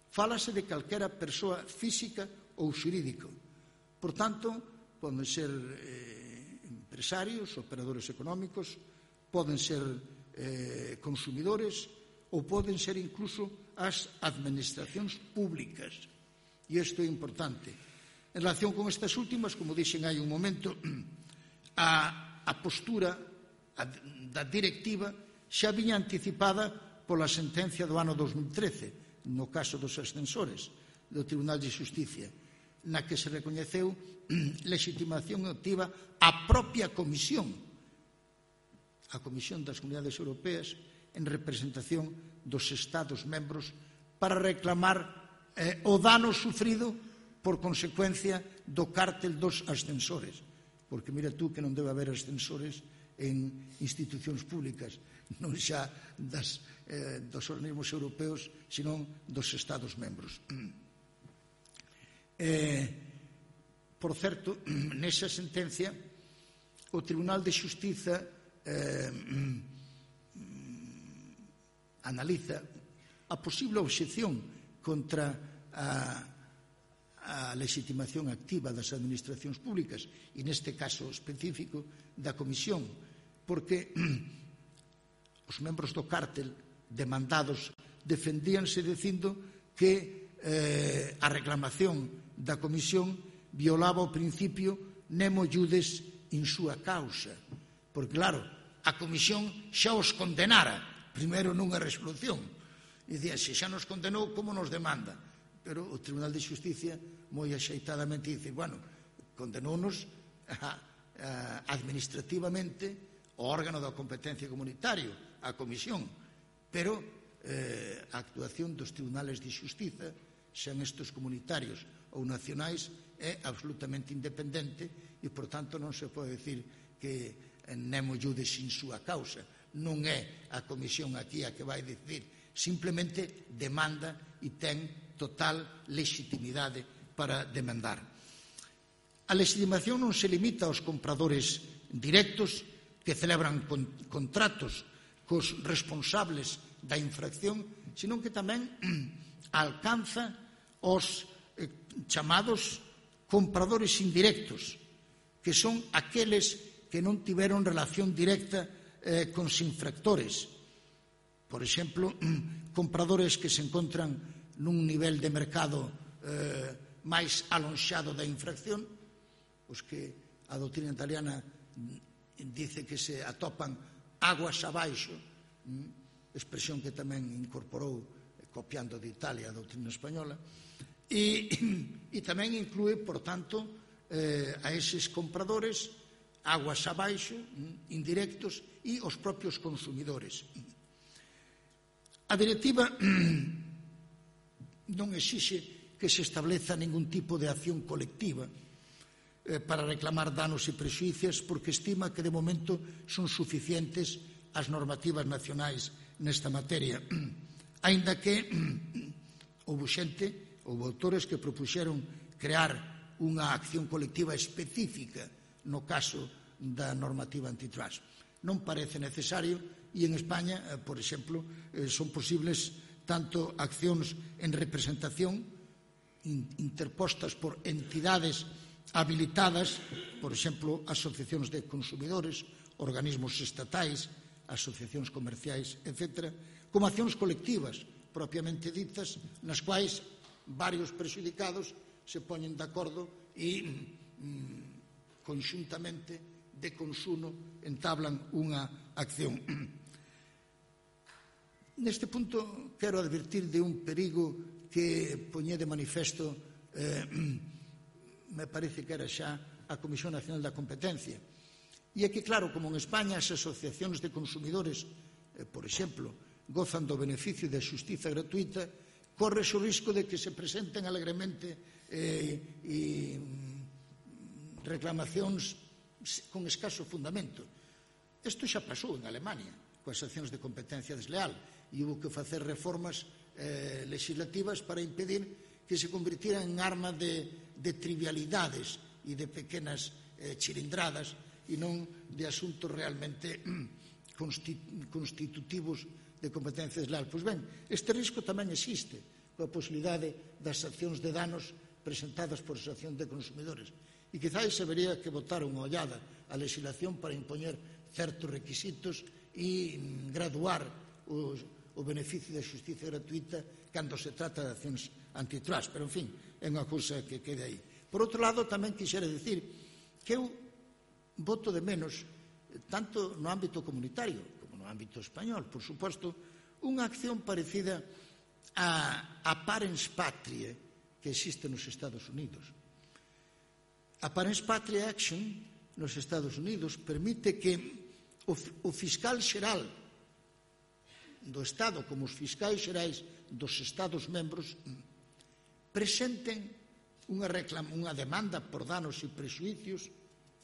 Fálase de calquera persoa física ou xurídico. Por tanto, poden ser eh, empresarios, operadores económicos, poden ser eh, consumidores ou poden ser incluso as administracións públicas. E isto é importante. En relación con estas últimas, como dixen hai un momento, a, a postura a, da directiva xa viña anticipada pola sentencia do ano dos mil trece, no caso dos ascensores do Tribunal de Xusticia, na que se recoñeceu legitimación activa á propia Comisión, a Comisión das Comunidades Europeas, en representación dos Estados membros para reclamar eh, o dano sufrido por consecuencia do cártel dos ascensores. Porque mira tú que non debe haber ascensores en institucións públicas, non xa das, eh, dos organismos europeos, senón dos Estados membros. Eh, por certo, nesa sentencia, o Tribunal de Xustiza eh, analiza a posible obxección contra a, a legitimación activa das administracións públicas e neste caso específico da Comisión, porque os membros do cártel demandados defendíanse dicindo que eh, a reclamación da Comisión violaba o principio nemo iudes in sua causa, porque claro, a Comisión xa os condenara primeiro nunha resolución e dicía, se xa nos condenou, como nos demanda? Pero o Tribunal de Xusticia moi axeitadamente dice, bueno, condenounos a, a, administrativamente o órgano da competencia comunitario, a Comisión, pero eh, a actuación dos tribunales de xustiza, xan estes comunitarios ou nacionais, é absolutamente independente e, por tanto, non se pode decir que nemo iudes in súa causa. Non é a Comisión aquí a que vai decir, simplemente demanda e ten total legitimidade para demandar. A legitimación non se limita aos compradores directos que celebran con, contratos cos responsables da infracción, senón que tamén alcanza os eh, chamados compradores indirectos, que son aqueles que non tiveron relación directa eh, con os infractores. Por exemplo, compradores que se encontran nun nivel de mercado eh, máis alonxado da infracción, os que a doutrina italiana dice que se atopan aguas abaixo, expresión que tamén incorporou, copiando de Italia, a doutrina española, e, e tamén inclúe, por tanto, eh, a eses compradores aguas abaixo, indirectos, e os propios consumidores. A directiva non exixe que se estableza ningún tipo de acción colectiva para reclamar danos e prexuicios, porque estima que de momento son suficientes as normativas nacionais nesta materia, aínda que houve xente, houve autores que propuxeron crear unha acción colectiva específica no caso da normativa antitrust. Non parece necesario e en España, por exemplo, son posibles tanto accións en representación interpostas por entidades habilitadas, por exemplo, asociacións de consumidores, organismos estatais, asociacións comerciais, etcétera, como accións colectivas, propiamente ditas, nas quais varios prexudicados se poñen de acordo e mm, conxuntamente de consumo entablan unha acción. Neste punto quero advertir de un perigo que poñé de manifesto eh, me parece que era xa a Comisión Nacional da Competencia. E é que, claro, como en España as asociacións de consumidores, eh, por exemplo, gozan do beneficio da xustiza gratuita, corres o risco de que se presenten alegremente eh, e reclamacións con escaso fundamento. Isto xa pasou en Alemania coas accións de competencia desleal e hubo que facer reformas eh, legislativas para impedir que se convirtieran en arma de, de trivialidades e de pequenas eh, chirindradas e non de asuntos realmente constitutivos de competencia desleal. Pois ben, este risco tamén existe coa posibilidade das accións de danos presentadas por asociacións de consumidores. E quizáis habería que botar unha ollada á legislación para impoñer certos requisitos e graduar os, o beneficio da xustiza gratuita cando se trata de accións antitrust. Pero, en fin, é unha cousa que quede aí. Por outro lado, tamén quixera dicir que eu voto de menos, tanto no ámbito comunitario como no ámbito español, por suposto, unha acción parecida a, a parens patriae que existe nos Estados Unidos. A parens patriae action nos Estados Unidos permite que o, o fiscal xeral do Estado como os fiscais xerais dos Estados membros presenten unha, reclama, unha demanda por danos e prexuicios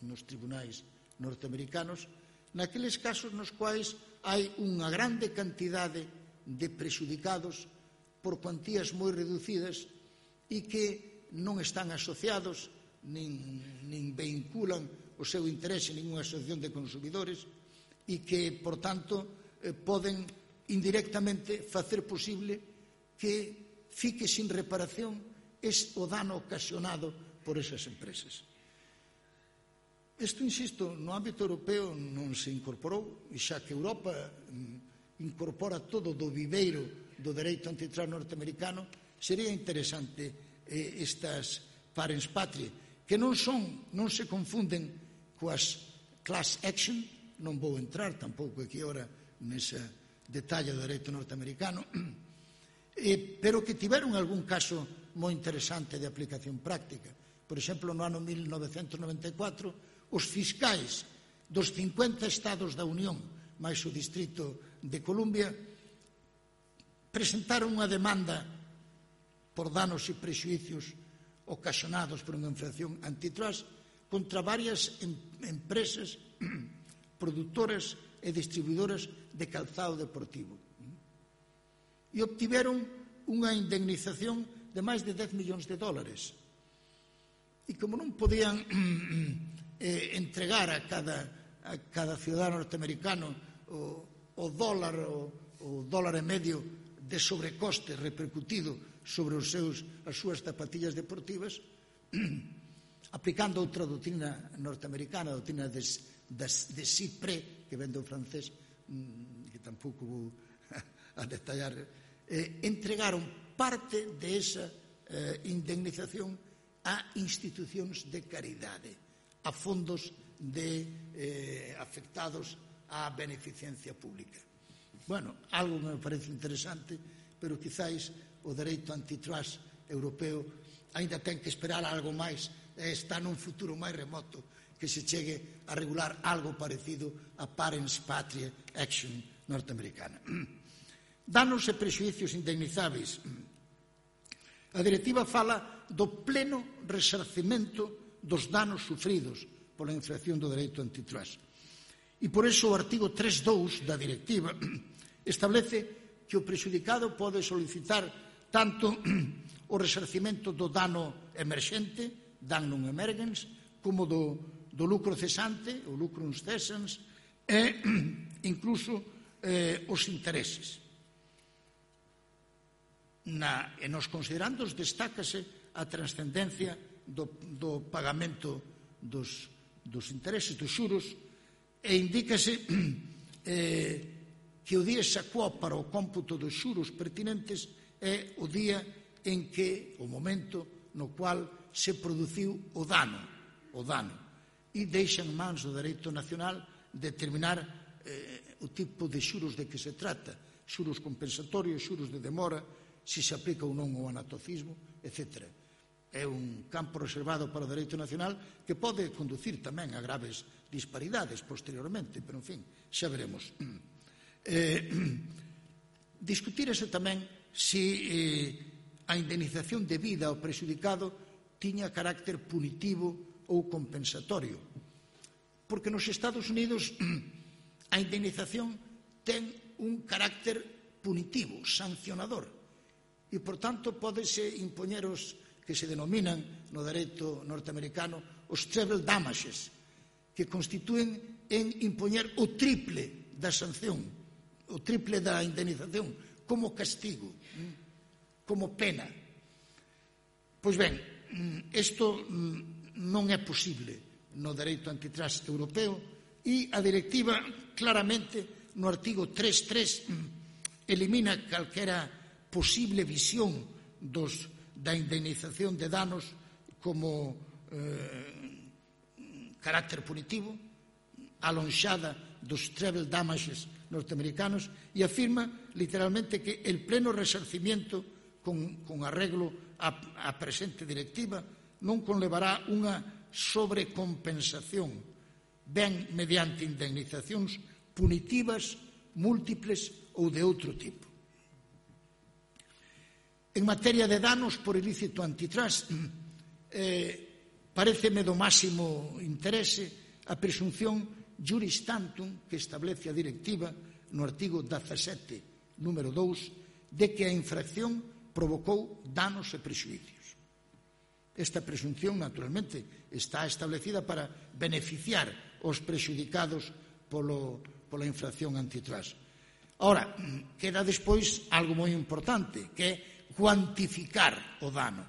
nos tribunais norteamericanos naqueles casos nos quais hai unha grande cantidade de prexudicados por cuantías moi reducidas e que non están asociados nin, nin vinculan o seu interese en ninguna asociación de consumidores e que, por tanto, eh, poden indirectamente facer posible que fique sin reparación es o dano ocasionado por esas empresas. Isto, insisto, no ámbito europeo non se incorporou, e xa que Europa incorpora todo do viveiro do dereito antitrust norteamericano, sería interesante eh, estas parens patriae, que non son, non se confunden coas class action, non vou entrar tampouco aquí ora nese detalle do dereito norteamericano, eh, pero que tiveron algún caso moi interesante de aplicación práctica. Por exemplo, no ano mil novecentos noventa e catro, os fiscais dos cincuenta estados da Unión, máis o Distrito de Columbia, presentaron unha demanda por danos e prexuicios ocasionados por unha infracción antitrust contra varias em empresas produtoras e distribuidoras de calzado deportivo. E obtiveron unha indemnización de máis de dez millóns de dólares. E como non podían eh, entregar a cada, a cada ciudadano norteamericano o, o dólar o, o dólar e medio de sobrecoste repercutido sobre os seus, as súas zapatillas deportivas, aplicando outra doutrina norteamericana, a doutrina de, de, de Cyprès, que ven do francés, que tampouco vou a detallar, eh, entregaron parte de esa eh, indemnización a institucións de caridade, a fondos de eh, afectados á beneficencia pública. Bueno, algo me parece interesante, pero quizáis o dereito antitrust europeo aínda ten que esperar algo máis, está nun futuro máis remoto que se chegue a regular algo parecido a parens patriae action norteamericana. Danos e prexuicios indemnizáveis. A directiva fala do pleno resarcimento dos danos sufridos pola infracción do dereito antitrust. E por iso o artigo tres punto dous da directiva establece que o prexudicado pode solicitar tanto o resarcimento do dano emerxente, damnum emergens, como do, do lucro cesante, o lucrum cessans, e incluso eh, os intereses. Na, e nos considerandos destácase a trascendencia do, do pagamento dos, dos intereses, dos xuros, e indícase eh, que o día xacuó para o cómputo dos xuros pertinentes é o día en que, o momento no cual se produciu o dano, o dano, e deixa en mans do dereito nacional determinar eh, o tipo de xuros de que se trata, xuros compensatorios, xuros de demora, se se aplica ou non o anatocismo, etcétera. É un campo reservado para o dereito nacional que pode conducir tamén a graves disparidades posteriormente, pero, en fin, xa veremos. Eh, discutírese tamén se eh, a indemnización debida ao prexudicado tiña carácter punitivo ou compensatorio. Porque nos Estados Unidos a indemnización ten un carácter punitivo, sancionador, e, por tanto, pódese impoñer os que se denominan no dereito norteamericano os treble damages, que constitúen en impoñer o triple da sanción, o triple da indemnización, como castigo, como pena. Pois ben, isto non é posible no dereito antitrust europeo e a directiva claramente no artigo tres punto tres elimina calquera posible visión dos, da indemnización de danos como eh, carácter punitivo, alonxada dos treble damages norteamericanos, e afirma literalmente que el pleno resarcimiento con, con arreglo a, a presente directiva non conlevará unha sobrecompensación, ben mediante indemnizacións punitivas, múltiples ou de outro tipo. En materia de danos por ilícito antitrust, eh, pareceme do máximo interese a presunción juris tantum que establece a directiva no artigo dezasete, número dous, de que a infracción provocou danos e prexuicios. Esta presunción, naturalmente, está establecida para beneficiar os prexudicados polo, pola infracción antitrust. Ahora, queda despois algo moi importante, que é cuantificar o dano.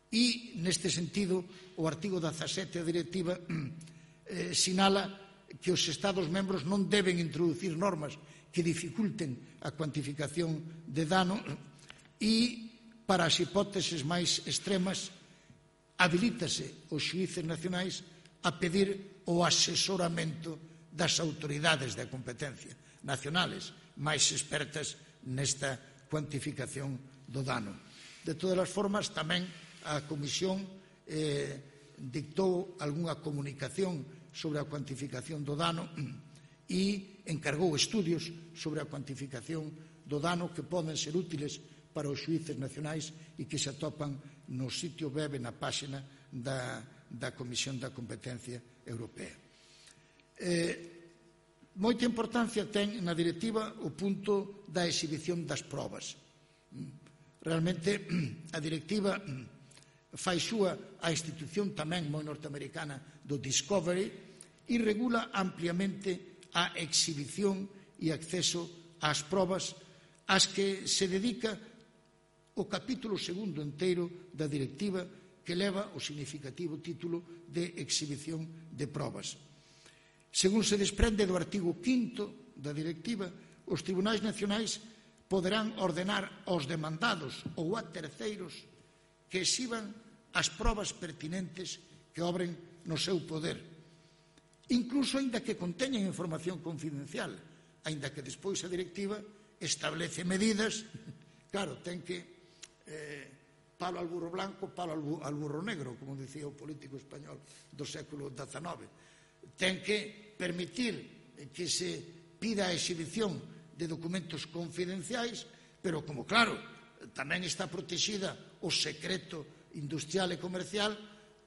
E, neste sentido, o artigo dezasete da directiva eh, sinala que os Estados membros non deben introducir normas que dificulten a cuantificación de dano e, para as hipóteses máis extremas, habilítase os xuíces nacionais a pedir o asesoramento das autoridades de competencia nacionales máis expertas nesta cuantificación do dano. De todas as formas, tamén a Comisión eh, dictou algunha comunicación sobre a cuantificación do dano e encargou estudios sobre a cuantificación do dano que poden ser útiles para os xuíces nacionais e que se atopan no sitio web, na páxina da, da Comisión da Competencia Europea. Eh, moita importancia ten na directiva o punto da exhibición das probas. Realmente, a directiva fai súa a institución tamén moi norteamericana do discovery e regula ampliamente a exhibición e acceso ás probas ás que se dedica o capítulo segundo enteiro da directiva, que leva o significativo título de exhibición de probas. Según se desprende do artigo quinto da directiva, os tribunais nacionais poderán ordenar aos demandados ou a terceiros que exhiban as probas pertinentes que obren no seu poder, incluso aínda que conteñen información confidencial, aínda que despois a directiva establece medidas. Claro, ten que eh, palo al burro blanco, palo al, bu al burro negro, como dicía o político español do século dezenove. Ten que permitir que se pida a exhibición de documentos confidenciais, pero como, claro, tamén está protexida o secreto industrial e comercial,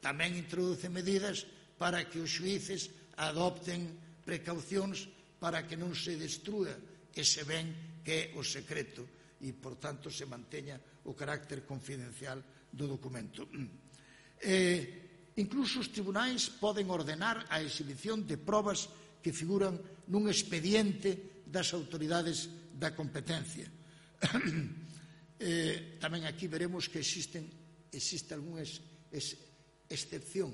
tamén introduce medidas para que os xuíces adopten precaucións para que non se destrúa ese ben que é o secreto e, por tanto, se manteña o carácter confidencial do documento. Eh, incluso os tribunais poden ordenar a exhibición de probas que figuran nun expediente das autoridades da competencia. eh, tamén aquí veremos que existen, existe algunha ex, ex, excepción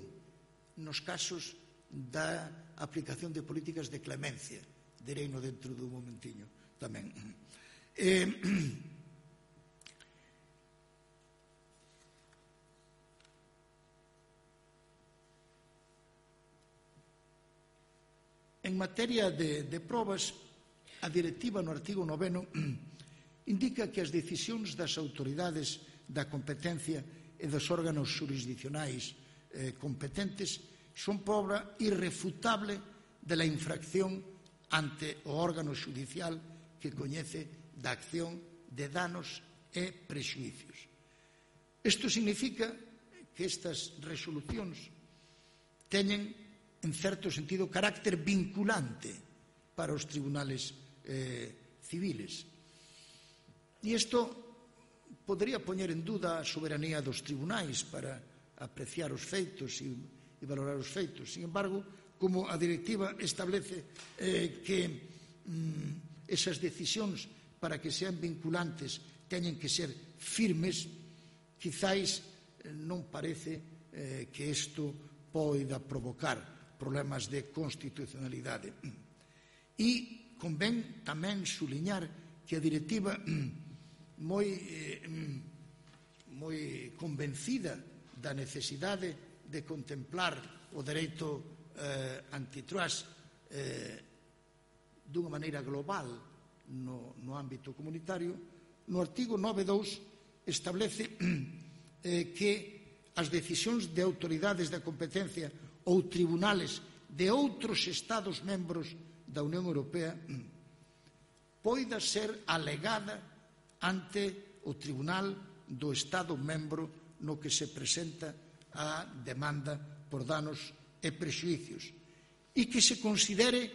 nos casos da aplicación de políticas de clemencia. Direino dentro dun momentiño tamén. Eh, en materia de, de probas, a directiva no artigo noveno indica que as decisións das autoridades da competencia e dos órganos xurisdicionais eh, competentes son proba irrefutable de la infracción ante o órgano xudicial que coñece da acción de danos e prexuicios. Isto significa que estas resolucións teñen, en certo sentido, carácter vinculante para os tribunales eh, civiles. E isto podría poñer en duda a soberanía dos tribunais para apreciar os feitos e, e valorar os feitos. Sin embargo, como a directiva establece eh, que mm, esas decisións para que sean vinculantes teñen que ser firmes, quizáis eh, non parece eh, que isto poida provocar problemas de constitucionalidade. E convén tamén suliñar que a directiva moi, eh, moi convencida da necesidade de contemplar o dereito eh, antitrust eh, dunha maneira global no, no ámbito comunitario, no artigo nove punto dous establece eh, que as decisións de autoridades da competencia ou tribunales de outros Estados membros da Unión Europea poida ser alegada ante o Tribunal do Estado membro no que se presenta a demanda por danos e prexuicios e que se considere,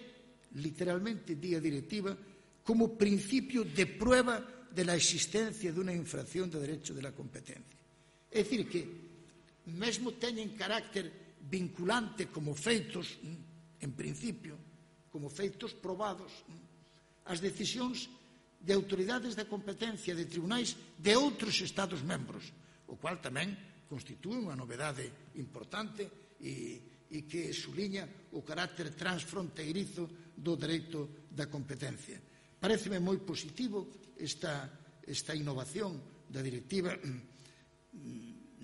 literalmente, di a directiva, como principio de prueba de la existencia de una infracción de derecho de la competencia. É dicir, que mesmo teñen carácter vinculante como feitos, en principio, como feitos probados, as decisións de autoridades da competencia de tribunais de outros Estados membros, o cual tamén constitúe unha novedade importante e, e que suliña o carácter transfronteirizo do dereito da competencia. Paréceme moi positivo esta, esta innovación da directiva,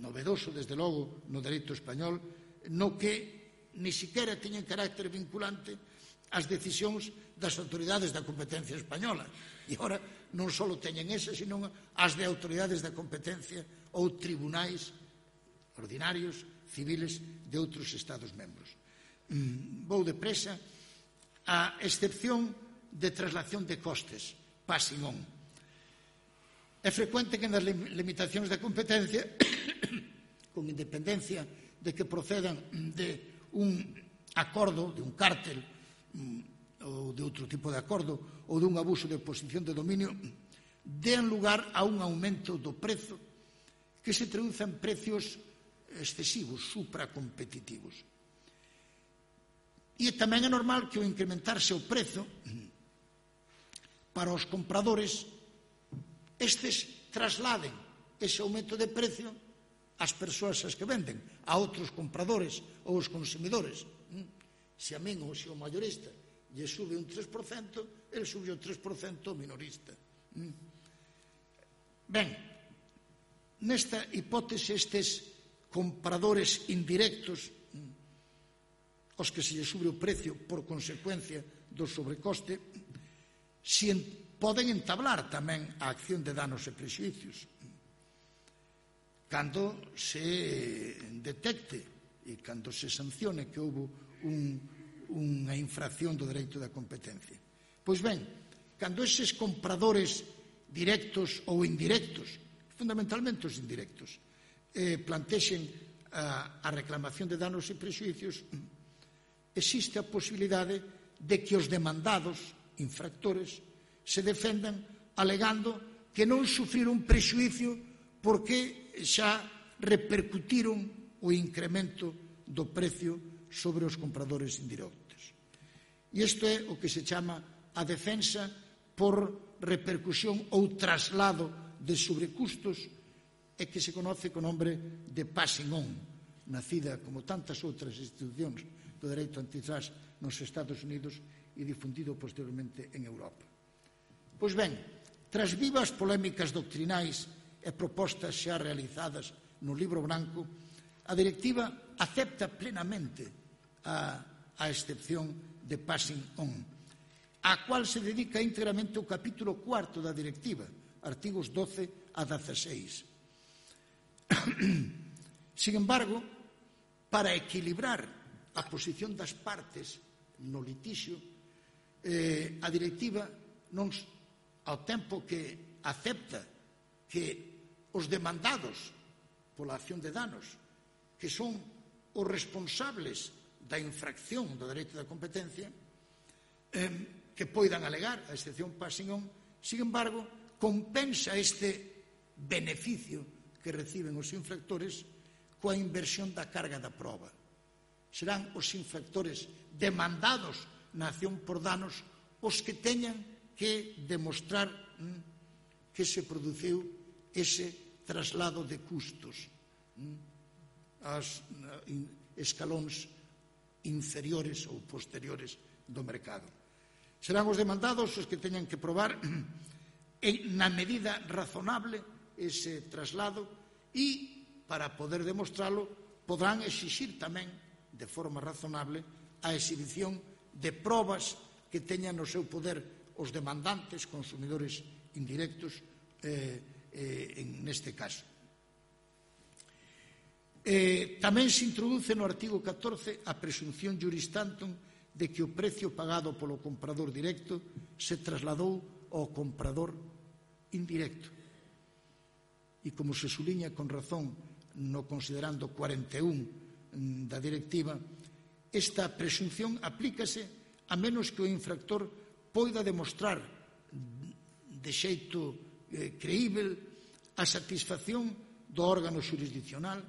novedoso, desde logo, no dereito español, no que ni siquiera teñen carácter vinculante as decisións das autoridades da competencia española. E ora non só teñen esas, sino as de autoridades da competencia ou tribunais ordinarios, civiles, de outros Estados membros. Mm, vou depresa. A excepción de traslación de costes, passing on. É frecuente que nas limitacións da competencia, con independencia de que procedan de un acordo, de un cártel, ou de outro tipo de acordo, ou dun abuso de posición de dominio, dean lugar a un aumento do prezo que se traduce en precios excesivos, supracompetitivos. E tamén é normal que ao incrementarse o prezo para os compradores, estes trasladen ese aumento de precio ás persoas as que venden, a outros compradores ou os consumidores. Se a min ou se o maiorista lle sube un tres por cento, el sube o tres por cento ao minorista. Ben, nesta hipótese, estes compradores indirectos, os que se lle sube o precio por consecuencia do sobrecoste, si poden entablar tamén a acción de danos e prexuicios cando se detecte e cando se sancione que houve un, unha infracción do dereito da competencia. Pois ben, cando eses compradores directos ou indirectos, fundamentalmente os indirectos, eh, plantexen a, a reclamación de danos e prexuicios, existe a posibilidade de que os demandados infractores se defendan alegando que non sufriron prexuicio porque xa repercutiron o incremento do precio sobre os compradores indirectos. E isto é o que se chama a defensa por repercusión ou traslado de sobrecustos e que se conoce co nombre de passing on, nacida como tantas outras institucións do dereito antitrust nos Estados Unidos e difundido posteriormente en Europa. Pois ben, tras vivas polémicas doctrinais e propostas xa realizadas no Libro Branco, a directiva acepta plenamente a, a excepción de passing on, a cual se dedica íntegramente o capítulo cuarto da directiva, artigos doce a dieciséis. Sin embargo, para equilibrar a posición das partes no litixio, eh, a directiva non, ao tempo que acepta que os demandados pola acción de danos, que son os responsables da infracción do dereito da competencia, eh, que poidan alegar a excepción passing on, sin embargo, compensa este beneficio que reciben os infractores coa inversión da carga da proba. Serán os infractores demandados na acción por danos os que teñan que demostrar mm, que se produciu ese traslado de custos aos escalóns inferiores ou posteriores do mercado. Serán os demandados os que teñan que probar na medida razonable ese traslado e, para poder demostralo, podrán exixir tamén de forma razonable a exhibición de probas que teñan no seu poder os demandantes, consumidores indirectos, eh, eh, en neste caso. Eh, tamén se introduce no artigo catorce a presunción juris tantum de que o precio pagado polo comprador directo se trasladou ao comprador indirecto. E como se suliña con razón no considerando cuarenta e un da directiva, esta presunción aplícase a menos que o infractor poida demostrar de xeito eh, creíble a satisfacción do órgano xurisdiccional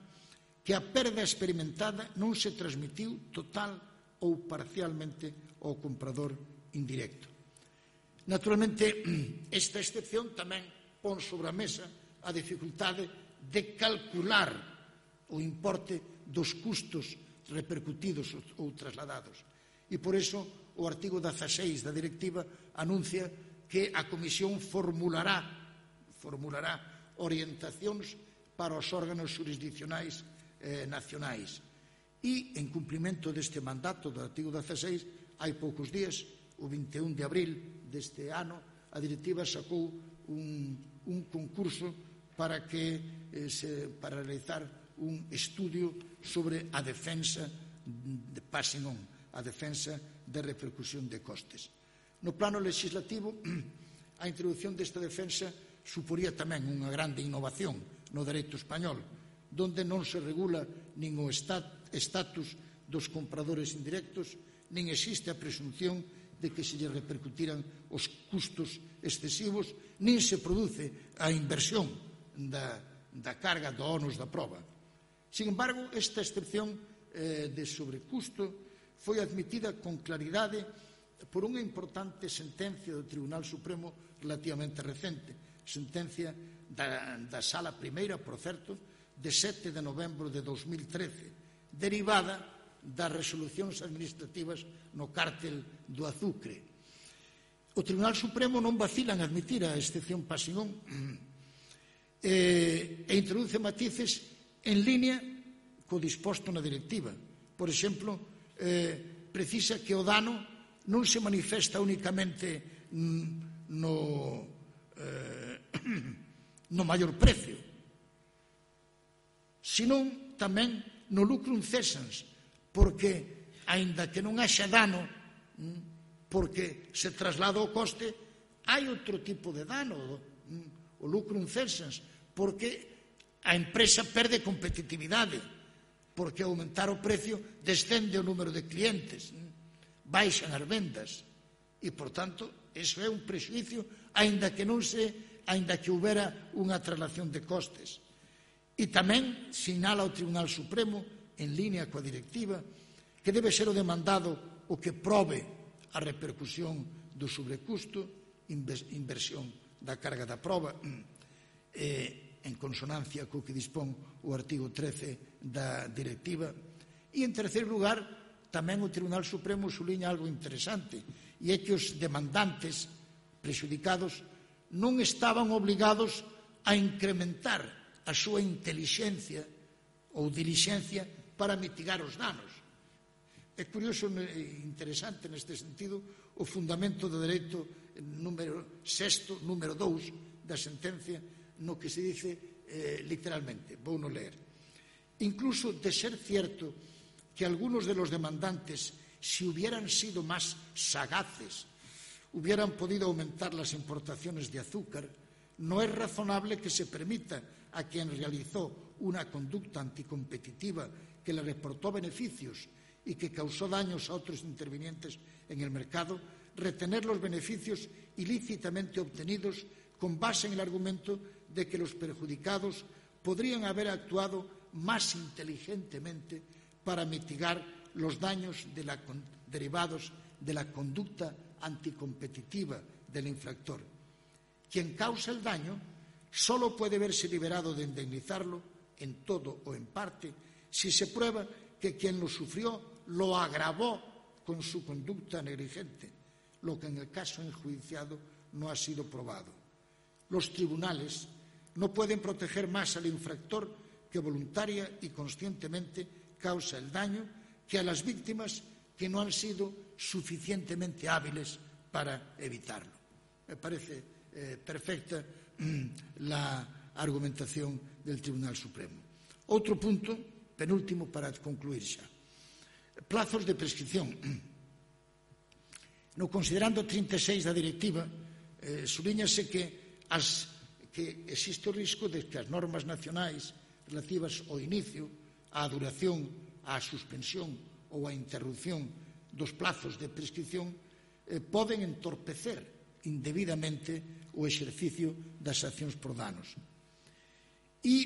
que a perda experimentada non se transmitiu total ou parcialmente ao comprador indirecto. Naturalmente, esta excepción tamén pon sobre a mesa a dificultade de calcular o importe dos custos repercutidos ou trasladados. E por iso o artigo dezaseis da directiva anuncia que a Comisión formulará, formulará orientacións para os órganos xurisdiccionais eh, nacionais. E, en cumprimento deste mandato do artigo dezaseis, hai poucos días, o vinte e un de abril deste ano, a directiva sacou un, un concurso para, que, eh, se, para realizar un estudio sobre a defensa de passing on, a defensa de repercusión de costes. No plano legislativo, a introducción desta defensa suporía tamén unha grande innovación no dereito español, donde non se regula nin o estatus dos compradores indirectos, nin existe a presunción de que se lle repercutiran os custos excesivos, nin se produce a inversión da, da carga do onus da proba. Sin embargo, esta excepción eh, de sobrecusto foi admitida con claridade por unha importante sentencia do Tribunal Supremo relativamente recente, sentencia da, da Sala Primeira, por certo, de sete de novembro de dos mil trece, derivada das resolucións administrativas no cártel do azucre. O Tribunal Supremo non vacila en admitir a excepción passing on e introduce matices en línea co disposto na directiva. Por exemplo, eh, precisa que o dano non se manifesta únicamente no, eh, no maior precio, senón tamén no lucrum cessans, porque, aínda que non haxa dano, porque se traslada o coste, hai outro tipo de dano, o lucrum cessans, porque a empresa perde competitividade, porque ao aumentar o precio descende o número de clientes, baixan as vendas, e, por tanto, eso é un prexuicio, aínda que non se, aínda que houbera unha traslación de costes. E tamén sinala o Tribunal Supremo, en línea coa directiva, que debe ser o demandado o que probe a repercusión do sobrecusto, inversión da carga da proba, eh, en consonancia co que dispón o artigo trece da directiva. E, en terceiro lugar, tamén o Tribunal Supremo suliña algo interesante, e é que os demandantes prexudicados non estaban obligados a incrementar a súa intelixencia ou dilixencia para mitigar os danos. É curioso e interesante neste sentido o fundamento do dereito número sexto, número dous da sentencia, no que se dice eh, literalmente, vou no ler. Incluso de ser cierto que algunos de los demandantes, si hubieran sido más sagaces, hubieran podido aumentar las importaciones de azúcar, no es razonable que se permita a quien realizó una conducta anticompetitiva que le reportó beneficios y que causó daños a otros intervinientes en el mercado, retener los beneficios ilícitamente obtenidos con base en el argumento de que los perjudicados podrían haber actuado más inteligentemente para mitigar los daños de la, derivados de la conducta anticompetitiva del infractor. Quien causa el daño solo puede verse liberado de indemnizarlo en todo o en parte si se prueba que quien lo sufrió lo agravó con su conducta negligente, lo que en el caso enjuiciado no ha sido probado. Los tribunales no pueden proteger más al infractor que voluntaria y conscientemente causa el daño que a las víctimas que no han sido suficientemente hábiles para evitarlo. Me parece eh, perfecta mm, la argumentación del Tribunal Supremo. Outro punto, penúltimo para concluir xa. Plazos de prescripción. No considerando trinta e seis da directiva, eh, subíñase que, as, que existe o risco de que as normas nacionais relativas ao inicio, á duración, á suspensión ou á interrupción dos plazos de prescripción eh, poden entorpecer indebidamente o exercicio das accións por danos. E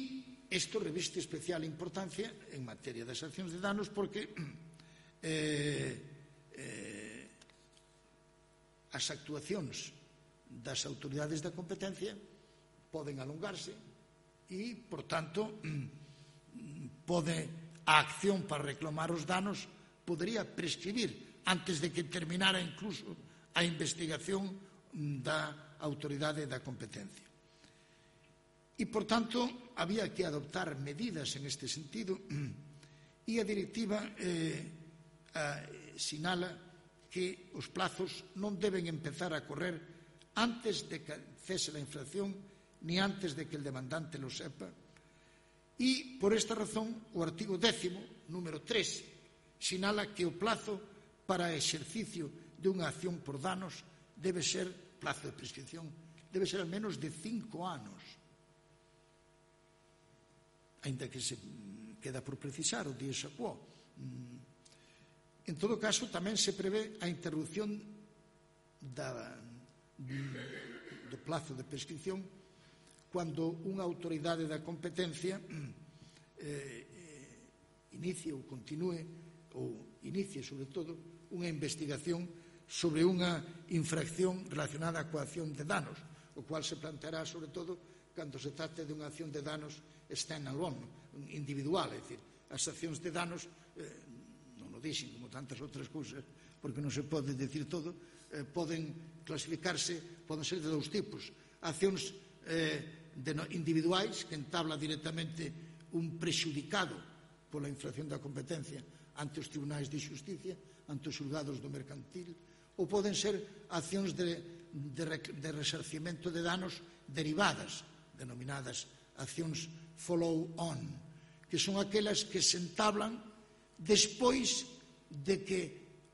isto reviste especial importancia en materia das accións de danos porque eh, eh, as actuacións das autoridades da competencia poden alongarse e, por tanto, pode a acción para reclamar os danos podería prescribir antes de que terminara incluso a investigación da autoridade da competencia. E, por tanto, había que adoptar medidas en este sentido e a directiva eh, a, sinala que os plazos non deben empezar a correr antes de que cese a infracción ni antes de que el demandante lo sepa. E, por esta razón, o artigo décimo, número tres, sinala que o plazo para exercicio de unha acción por danos debe ser, plazo de prescripción, debe ser al menos de cinco anos. Ainda que se queda por precisar o dies a quo. En todo caso, tamén se prevé a interrupción da, do plazo de prescripción cando unha autoridade da competencia eh, inicie ou continúe ou inicie, sobre todo, unha investigación sobre unha infracción relacionada coa acción de danos, o cual se planteará, sobre todo, cando se trate de unha acción de danos stand-alone, individual, é dicir, as accións de danos, eh, non o dixen como tantas outras cousas, porque non se pode decir todo, eh, poden clasificarse, poden ser de dous tipos, accións eh, de no, individuais que entabla directamente un prexudicado pola infracción da competencia ante os tribunais de xusticia, ante os xulgados do mercantil, ou poden ser accións de, de, de resarcimento de danos derivadas, denominadas accións follow-on, que son aquelas que se entablan despois de que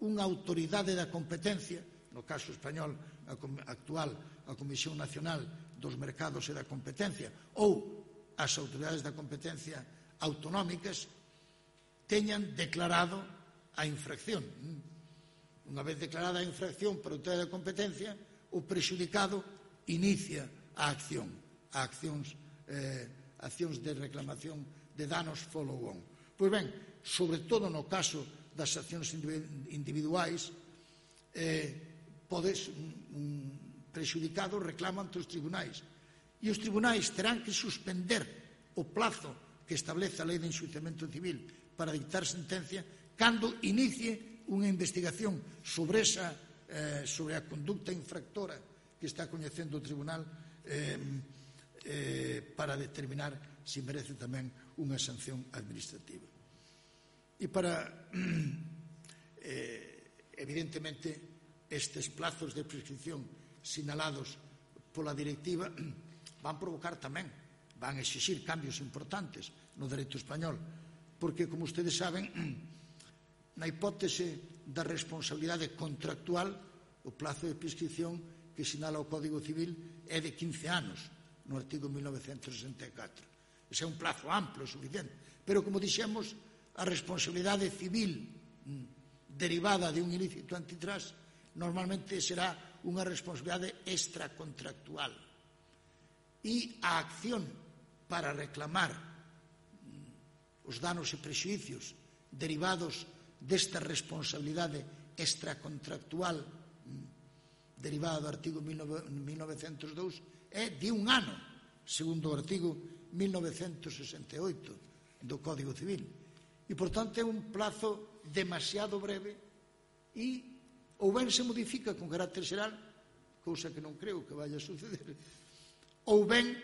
unha autoridade da competencia, no caso español a, actual, a Comisión Nacional dos Mercados e da Competencia, ou as autoridades da competencia autonómicas, teñan declarado a infracción. Unha vez declarada a infracción por a autoridade da competencia, o prexudicado inicia a acción, a accións, eh, accións de reclamación de danos follow-on. Pois ben, sobre todo no caso das accións individuais, eh, podes, un prexudicado reclama ante os tribunais e os tribunais terán que suspender o plazo que establece a Lei de Enxuiciamento Civil para dictar sentencia cando inicie unha investigación sobre, esa, eh, sobre a conducta infractora que está coñecendo o tribunal eh, eh, para determinar se merece tamén unha sanción administrativa. E para, eh, evidentemente, estes plazos de prescripción sinalados pola directiva van provocar tamén, van exixir cambios importantes no dereito español, porque, como ustedes saben, na hipótese da responsabilidade contractual, o plazo de prescripción que sinala o Código Civil é de quince anos, no artigo mil novecentos sesenta e catro. Ese é un plazo amplo, suficiente. Pero, como dixemos, a responsabilidade civil derivada de un ilícito antitrust normalmente será unha responsabilidade extracontractual. E a acción para reclamar os danos e prexuicios derivados desta responsabilidade extracontractual derivada do artigo mil novecentos dous é de un ano, segundo o artigo mil novecentos sesenta e oito do Código Civil. E, por tanto, é un plazo demasiado breve e ou ben se modifica con carácter xeral, cousa que non creo que vaya a suceder, ou ben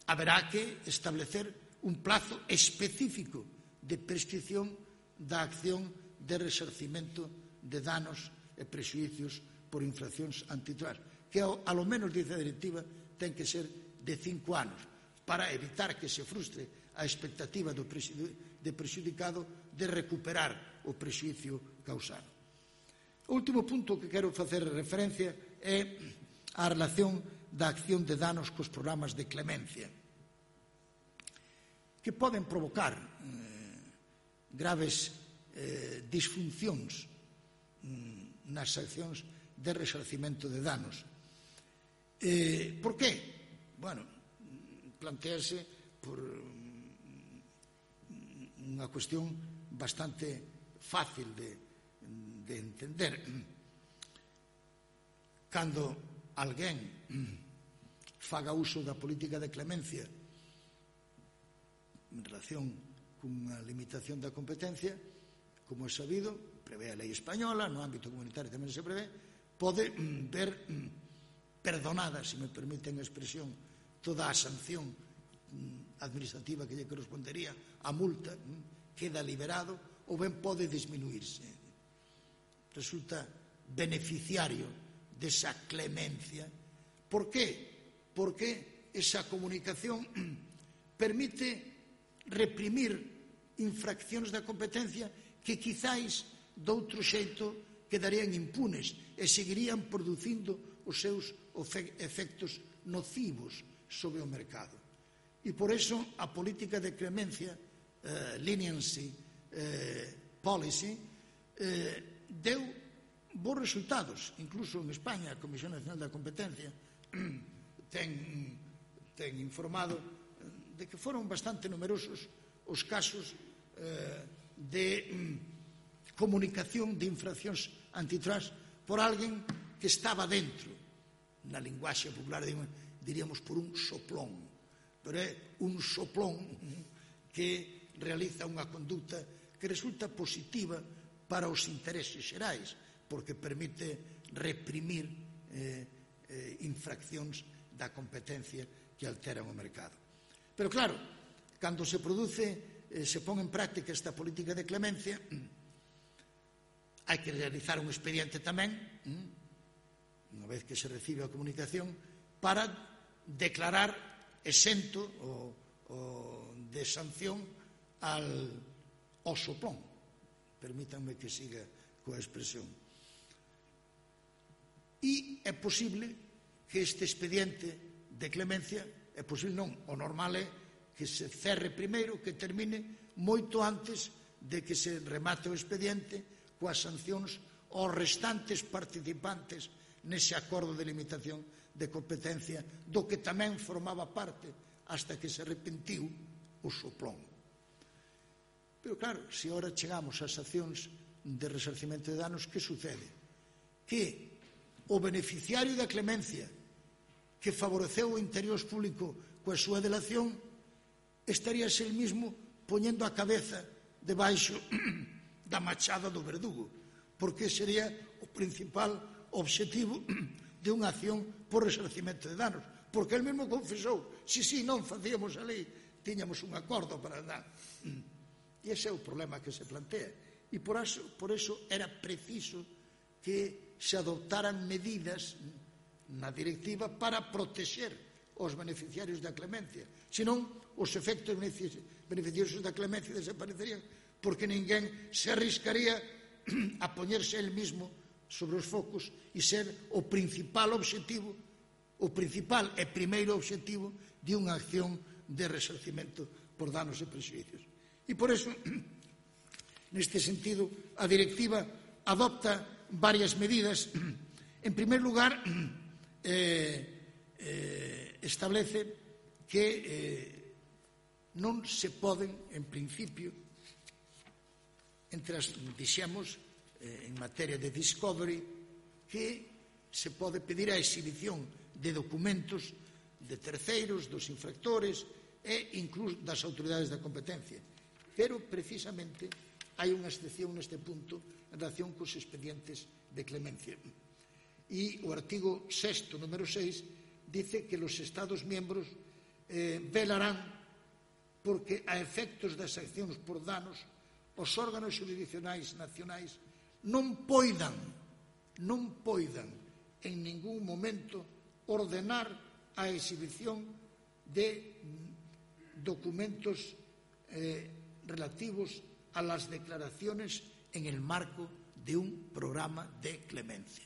haberá que establecer un plazo específico de prescripción da acción de resarcimento de danos e prexuicios por infraccións antitrust, que ao menos, dice a directiva, ten que ser de cinco anos, para evitar que se frustre a expectativa do prexudicado de recuperar o prexuicio causado. O último punto que quero facer referencia é a relación da acción de danos cos programas de clemencia, que poden provocar eh, graves eh, disfuncións mm, nas accións de resarcimento de danos. Eh, por qué? Bueno, plantease por unha cuestión bastante fácil de, de entender. Cando alguén faga uso da política de clemencia en relación cunha limitación da competencia, como é sabido, prevé a lei española, no ámbito comunitario tamén se prevé, pode ver perdonada, se me permiten a expresión, toda a sanción administrativa que lle correspondería, a multa, queda liberado, ou ben pode disminuirse. Resulta beneficiario desa clemencia. Por qué? Porque esa comunicación permite reprimir infraccións da competencia que quizáis doutro xeito quedarían impunes e seguirían producindo os seus efectos nocivos sobre o mercado. E por eso a política de clemencia, eh, leniency eh, policy, eh, deu bons resultados. Incluso en España, a Comisión Nacional da Competencia ten, ten informado de que foron bastante numerosos os casos eh, de mm, comunicación de infraccións antitrust por alguén que estaba dentro, na linguaxe popular diríamos por un soplón, pero é un soplón que realiza unha conduta que resulta positiva para os intereses xerais, porque permite reprimir eh, eh, infraccións da competencia que alteran o mercado. Pero claro, cando se produce, eh, se pon en práctica esta política de clemencia, hai que realizar un expediente tamén, unha vez que se recibe a comunicación, para declarar exento o, o de sanción al ao soplón. Permítanme que siga coa expresión. E é posible que este expediente de clemencia, é posible non, o normal é que se cerre primeiro, que termine moito antes de que se remate o expediente coas sancións aos restantes participantes nese acordo de limitación de competencia do que tamén formaba parte hasta que se arrepentiu o soplón. Pero claro, se ora chegamos ás accións de resarcimento de danos, que sucede? Que o beneficiario da clemencia que favoreceu o interés público coa súa delación estaríase el mismo poñendo a cabeza debaixo da machada do verdugo, porque sería o principal objetivo de unha acción por resarcimento de danos, porque el mesmo confesou, si, si, non facíamos a lei, tiñamos un acordo para dar. E ese é o problema que se plantea. E por eso, por eso era preciso que se adoptaran medidas na directiva para protexer os beneficiarios da clemencia. Senón, os efectos beneficiosos da clemencia desaparecerían, porque ninguén se arriscaría a poñerse el mismo sobre os focos e ser o principal obxectivo, o principal e primeiro obxectivo de unha acción de resarcimento por danos e prexuicios. E por eso, neste sentido, a directiva adopta varias medidas. En primer lugar, eh, eh, establece que eh, non se poden, en principio, entre as, dixemos, eh, en materia de discovery, que se pode pedir a exhibición de documentos de terceiros, dos infractores e incluso das autoridades da competencia. Pero, precisamente, hai unha excepción neste punto en relación cos expedientes de clemencia. E o artigo sexto, número seis, dice que los Estados miembros eh, velarán porque a efectos das accións por danos os órganos jurisdiccionais nacionais non poidan, non poidan en ningún momento ordenar a exhibición de documentos eh, relativos a las declaraciones en el marco de un programa de clemencia.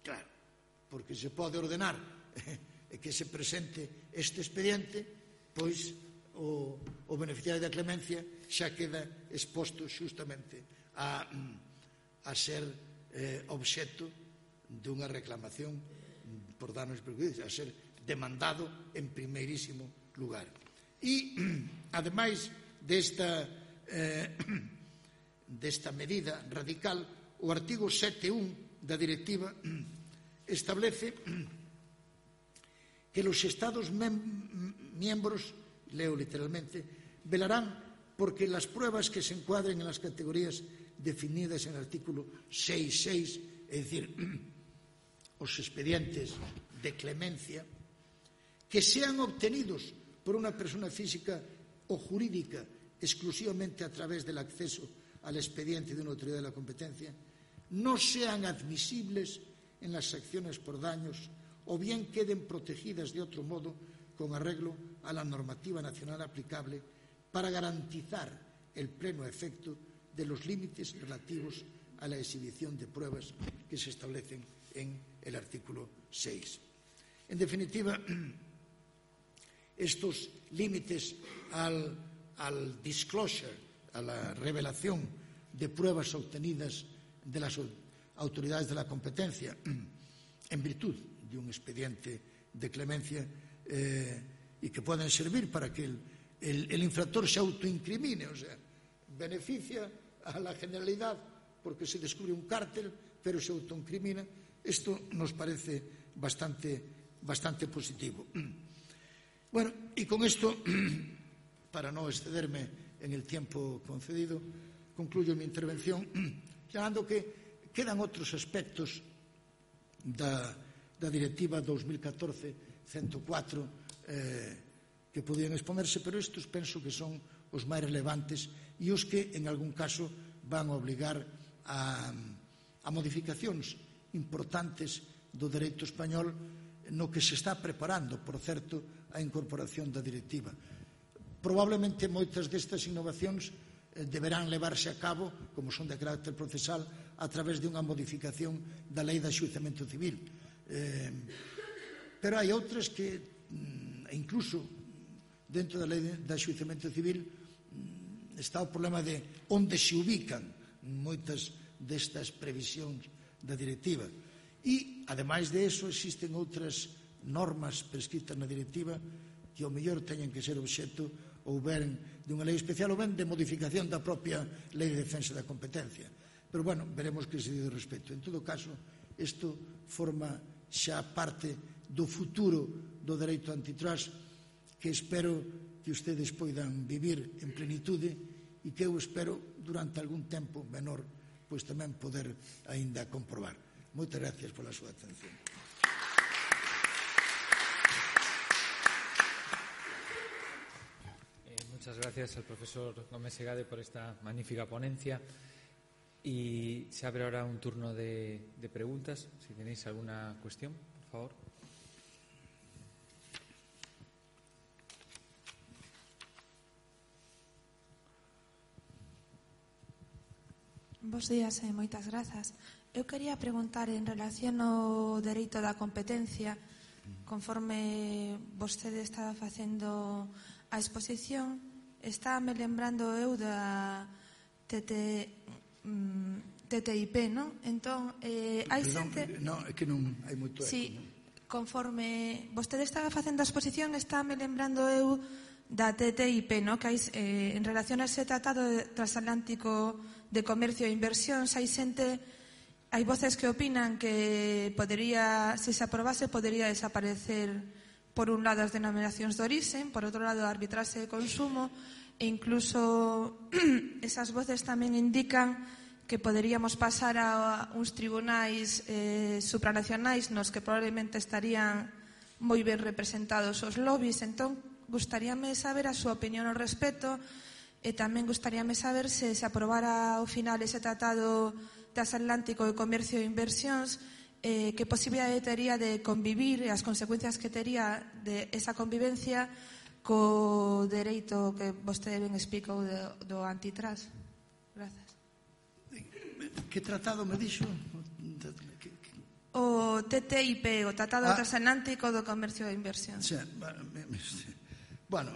Claro, porque se pode ordenar eh, que se presente este expediente, pois o, o beneficiario da clemencia xa queda exposto xustamente a, a ser eh, obxecto dunha reclamación por danos e perjuicios, a ser demandado en primeirísimo lugar. E, ademais desta, eh, desta medida radical, o artigo sete punto un da directiva establece que los Estados miembros, leo literalmente, velarán porque las pruebas que se encuadren en las categorías definidas en el artículo seis punto seis, es decir, os expedientes de clemencia, que sean obtenidos por una persona física o jurídica exclusivamente a través del acceso al expediente de una autoridad de la competencia, no sean admisibles en las acciones por daños o bien queden protegidas de otro modo con arreglo a la normativa nacional aplicable para garantizar el pleno efecto de los límites relativos a la exhibición de pruebas que se establecen en el artículo seis. En definitiva, estos límites al, al disclosure, a la revelación de pruebas obtenidas de las autoridades de la competencia en virtud de un expediente de clemencia eh, y que pueden servir para que el, el, el infractor se autoincrimine, o sea, beneficia a la generalidad porque se descubre un cártel, pero se autoincrimina. Esto nos parece bastante, bastante positivo. Bueno, y con esto, para no excederme en el tiempo concedido, concluyo mi intervención señalando que quedan outros aspectos da, da Directiva dos mil catorce ciento catro eh, que podían exponerse, pero estes penso que son os máis relevantes e os que, en algún caso, van a obligar a, a modificacións importantes do dereito español no que se está preparando, por certo, a incorporación da directiva. Probablemente moitas destas innovacións deberán levarse a cabo, como son de carácter procesal, a través de unha modificación da Lei de Enxuizamento Civil. Eh, pero hai outras que, incluso dentro da Lei de Enxuizamento Civil, está o problema de onde se ubican moitas destas previsións da directiva. E, ademais de eso, existen outras normas prescritas na directiva que ao mellor teñen que ser obxecto ou ben dunha lei especial ou ben de modificación da propia Lei de Defensa da Competencia. Pero, bueno, veremos que se dice respecto. En todo caso, isto forma xa parte do futuro do dereito antitrust que espero que ustedes poidan vivir en plenitude e que eu espero durante algún tempo menor pois tamén poder aínda comprobar. Moitas gracias pola súa atención. Muchas gracias al profesor Gómez Segade por esta magnífica ponencia y se abre ahora un turno de, de preguntas. Si tenéis alguna cuestión, por favor. Bos días e moitas grazas. Eu quería preguntar en relación ao dereito da competencia, conforme vostede estaba facendo a exposición, estáme lembrando eu da T T, mm, T T I P, non? Entón, eh, hai Perdón, xente... non, é que non hai moito eco. Sí, Non? conforme vostede estaba facendo a exposición, estáme lembrando eu da T T I P, no? Que hai, eh, en relación a ese tratado transatlántico de comercio e inversión, hai xente, hai voces que opinan que podería, se se aprobase, podería desaparecer por un lado as denominacións de orixen, por outro lado a arbitraxe de consumo, e incluso esas voces tamén indican que poderíamos pasar a uns tribunais eh, supranacionais nos que probablemente estarían moi ben representados os lobbies. Entón, gustaríame saber a súa opinión ao respecto e tamén gustaríame saber se se aprobara ao final ese tratado transatlántico de comercio e inversións, eh, que posibilidade tería de convivir e as consecuencias que tería de esa convivencia co dereito que vostede ben explicou do, do antitrust. Grazas. Que tratado me dixo? O T T I P, o Tratado Ah. Transatlántico do Comercio e Inversión. Sí, bueno,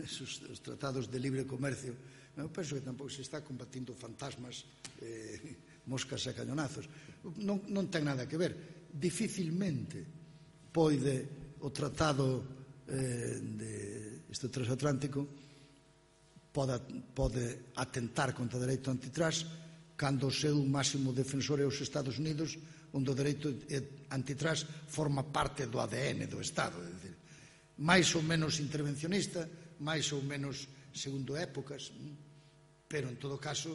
esos os tratados de libre comercio, eu penso que tampouco se está combatindo fantasmas, eh, moscas e cañonazos. Non, non ten nada que ver. Dificilmente poide o tratado eh, de este transatlántico pode, pode atentar contra o dereito antitrust cando o seu máximo defensor é os Estados Unidos, onde o dereito antitrust forma parte do A D N do Estado. É dicir, máis ou menos intervencionista, máis ou menos segundo épocas, pero en todo caso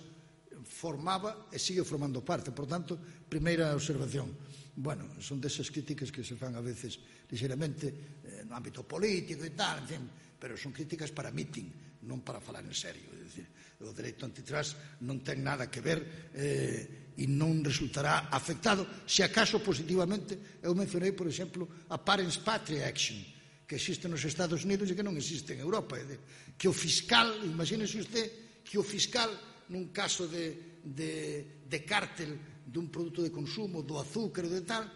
formaba e sigue formando parte. Por tanto, primeira observación, bueno, son desas críticas que se fan a veces ligeramente eh, no ámbito político e tal, en fin, pero son críticas para meeting, non para falar en serio. É dicir, o dereito antitrust non ten nada que ver eh, e non resultará afectado, se acaso positivamente. Eu mencionei, por exemplo, a Parents Patria Action, que existe nos Estados Unidos e que non existe en Europa. É dicir, que o fiscal, imagínese usted, que o fiscal, nun caso de, de, de cártel dun produto de consumo, do azúcar, de tal,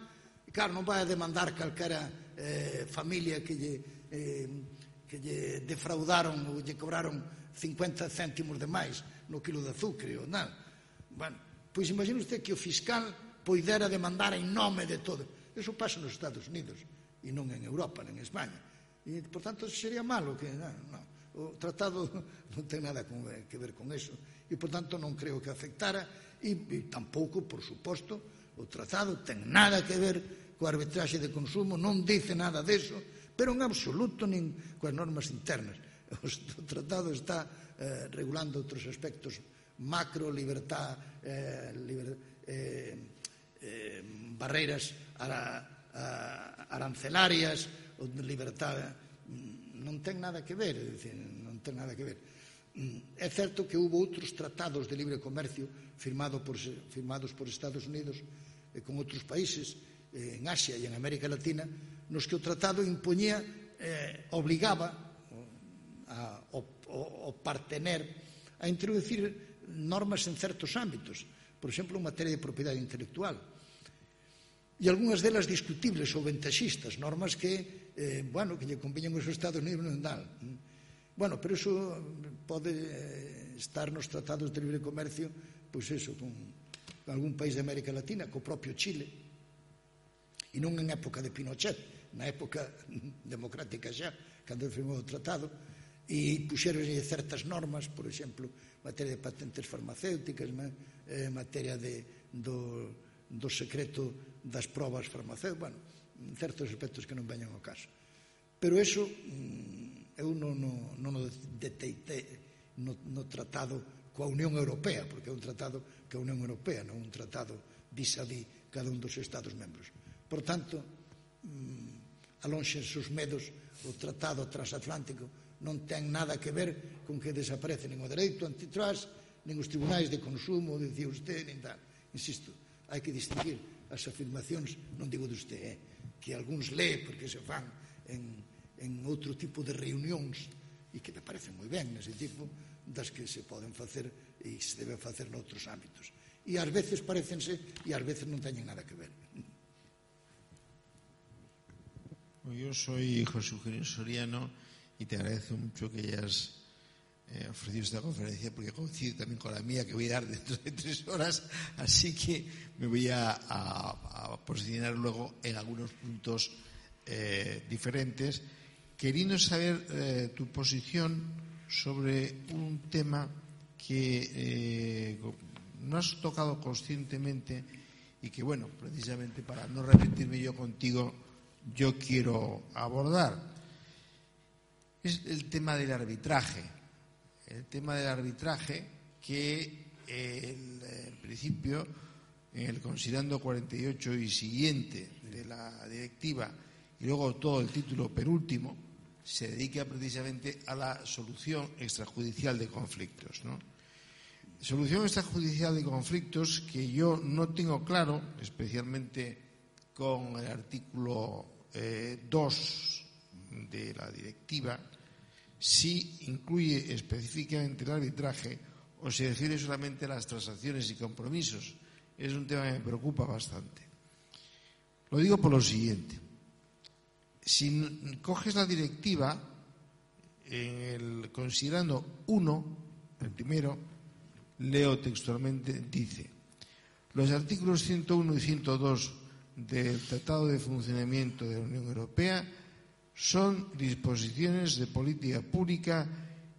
claro, non vai a demandar calquera eh, familia que lle, eh, que lle defraudaron ou lle cobraron cincuenta céntimos de máis no quilo de azúcar ou nada. Bueno, pois imagine usted que o fiscal poidera demandar en nome de todo. Eso pasa nos Estados Unidos e non en Europa, nen en España. E, por tanto, sería malo que... Non, non. O tratado non ten nada que ver con eso e, por tanto, non creo que afectara e, e tampouco, por suposto, o tratado ten nada que ver coa arbitraxe de consumo, non dice nada deso, pero en absoluto nin coas normas internas. O tratado está eh, regulando outros aspectos macro, libertad, eh, liber, eh, eh, barreiras ara, a, arancelarias, ou libertad... non ten nada que ver, é dicir, non ten nada que ver. É certo que hubo outros tratados de libre comercio firmado por, firmados por Estados Unidos e con outros países eh, en Asia e en América Latina, nos que o tratado impoñía, eh, obligaba a, o, o, o partener a introducir normas en certos ámbitos, por exemplo, en materia de propiedade intelectual. E algunhas delas discutibles ou ventaxistas, normas que, eh, bueno, que lle conviñan aos Estados Unidos non dal. Bueno, pero iso pode estar nos tratados de libre comercio, pois eso, con algún país de América Latina, co propio Chile, e non en época de Pinochet, na época democrática xa, cando firmou o tratado, e puxeronlle certas normas, por exemplo, materia de patentes farmacéuticas, eh, materia de, do, do secreto das probas farmacéuticas, bueno, certos aspectos que non veñan ao caso. Pero eso eu non, non, non o deteitei no, no tratado coa Unión Europea, porque é un tratado que a Unión Europea, non un tratado vis-a-vis cada un dos Estados membros. Por tanto, alonxen os medos, o tratado transatlántico non ten nada que ver con que desaparece nin o dereito antitrust, nin os tribunais de consumo, dicía usted, nin tal. Insisto, hai que distinguir as afirmacións, non digo de usted, eh, que algúns lee porque se fan en, en outro tipo de reunións e que me parecen moi ben nese tipo, das que se poden facer e se debe facer noutros ámbitos. E ás veces parecense e ás veces non teñen nada que ver. Yo soy José Eugenio Soriano y te agradezco mucho que hayas eh, ofrecido esta conferencia, porque coincide también con la mía que voy a dar dentro de tres horas, así que me voy a, a, a posicionar luego en algunos puntos eh, diferentes, queriendo saber eh, tu posición sobre un tema que eh, no has tocado conscientemente y que, bueno, precisamente para no repetirme yo contigo, yo quiero abordar. Es el tema del arbitraje. El tema del arbitraje que eh, el, en principio, en el considerando cuarenta y ocho y siguiente de la directiva y luego todo el título penúltimo, se dedica precisamente a la solución extrajudicial de conflictos, ¿no? Solución extrajudicial de conflictos que yo no tengo claro, especialmente con el artículo eh, dos de la directiva, si incluye específicamente el arbitraje o se refiere solamente a las transacciones y compromisos. Es un tema que me preocupa bastante. Lo digo por lo siguiente. Si coges la directiva, en el considerando uno, el primero, leo textualmente, dice: los artículos ciento uno y ciento dos del Tratado de Funcionamiento de la Unión Europea son disposiciones de política pública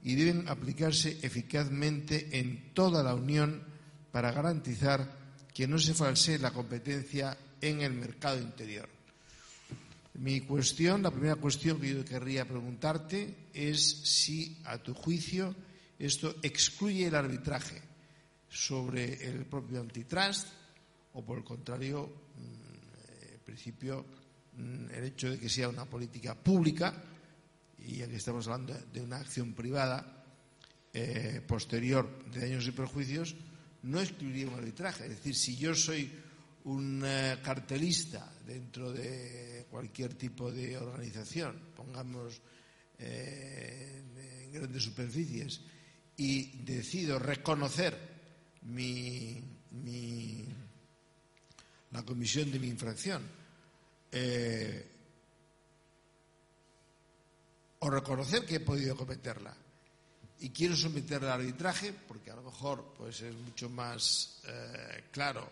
y deben aplicarse eficazmente en toda la Unión para garantizar que no se falsee la competencia en el mercado interior. Mi cuestión, la primera cuestión que yo querría preguntarte es si, a tu juicio, esto excluye el arbitraje sobre el propio antitrust o, por el contrario, en principio, el hecho de que sea una política pública, y ya que estamos hablando de una acción privada eh, posterior de daños y perjuicios, no excluiría un arbitraje. Es decir, si yo soy un eh, cartelista dentro de cualquier tipo de organización, pongamos eh, en grandes superficies, y decido reconocer mi, mi, la comisión de mi infracción, eh, o reconocer que he podido cometerla y quiero someterla al arbitraje, porque a lo mejor pues es mucho más eh, claro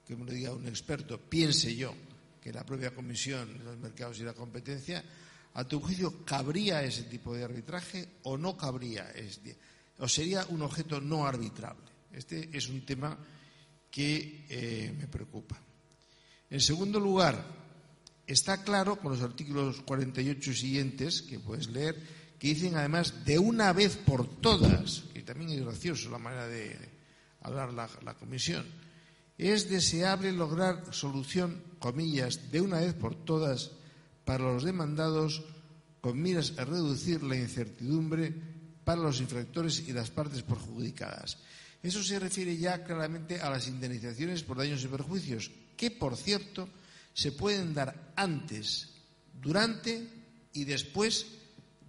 que me lo diga un experto, piense yo que la propia Comisión de los Mercados y la Competencia, ¿a tu juicio cabría ese tipo de arbitraje o no cabría? ¿O sería un objeto no arbitrable? Este es un tema que eh, me preocupa. En segundo lugar, está claro con los artículos cuarenta y ocho y siguientes, que puedes leer, que dicen además de una vez por todas, que también es gracioso la manera de hablar la, la Comisión, es deseable lograr solución, comillas, de una vez por todas para los demandados con miras a reducir la incertidumbre para los infractores y las partes perjudicadas. Eso se refiere ya claramente a las indemnizaciones por daños y perjuicios, que, por cierto, se pueden dar antes, durante y después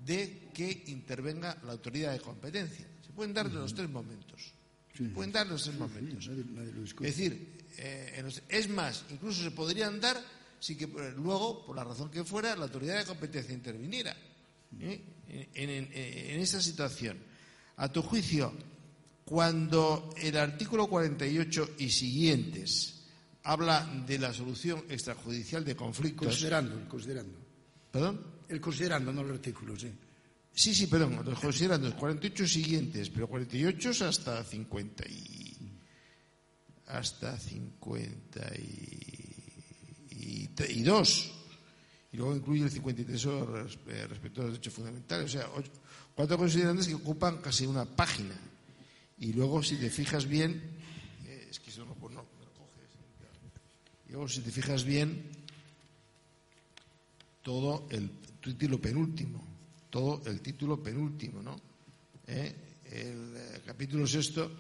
de que intervenga la autoridad de competencia. Se pueden dar de los tres momentos. Se pueden dar los tres momentos. Es decir, eh, es más, incluso se podrían dar si que luego, por la razón que fuera, la autoridad de competencia interviniera ¿eh? en, en, en esta situación. A tu juicio, cuando el artículo cuarenta y ocho y siguientes habla de la solución extrajudicial de conflictos. Considerando, considerando. ¿Perdón? El considerando, no el artículo, sí. Sí, sí, perdón, los considerando los cuarenta y ocho siguientes, pero cuarenta y ocho es hasta cincuenta y hasta cincuenta y dos. Y luego incluye el cincuenta y tres respecto a los derechos fundamentales. O sea, ocho, cuatro considerantes que ocupan casi una página. Y luego, si te fijas bien, eh, es que eso no, pues no, me lo coges. Y luego, si te fijas bien, todo el título penúltimo, todo el título penúltimo, ¿no? ¿Eh? El eh, capítulo sexto,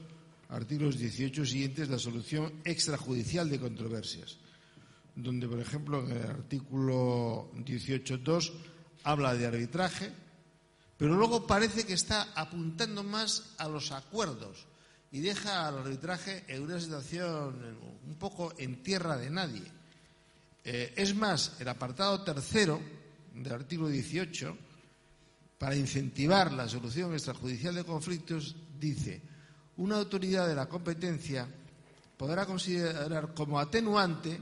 artículos dieciocho siguientes, la solución extrajudicial de controversias, donde, por ejemplo, en el artículo dieciocho punto dos habla de arbitraje, pero luego parece que está apuntando más a los acuerdos. y deja al arbitraje en una situación un poco en tierra de nadie. Eh, es más, el apartado tercero del artículo dieciocho, para incentivar la solución extrajudicial de conflictos, dice: una autoridad de la competencia podrá considerar como atenuante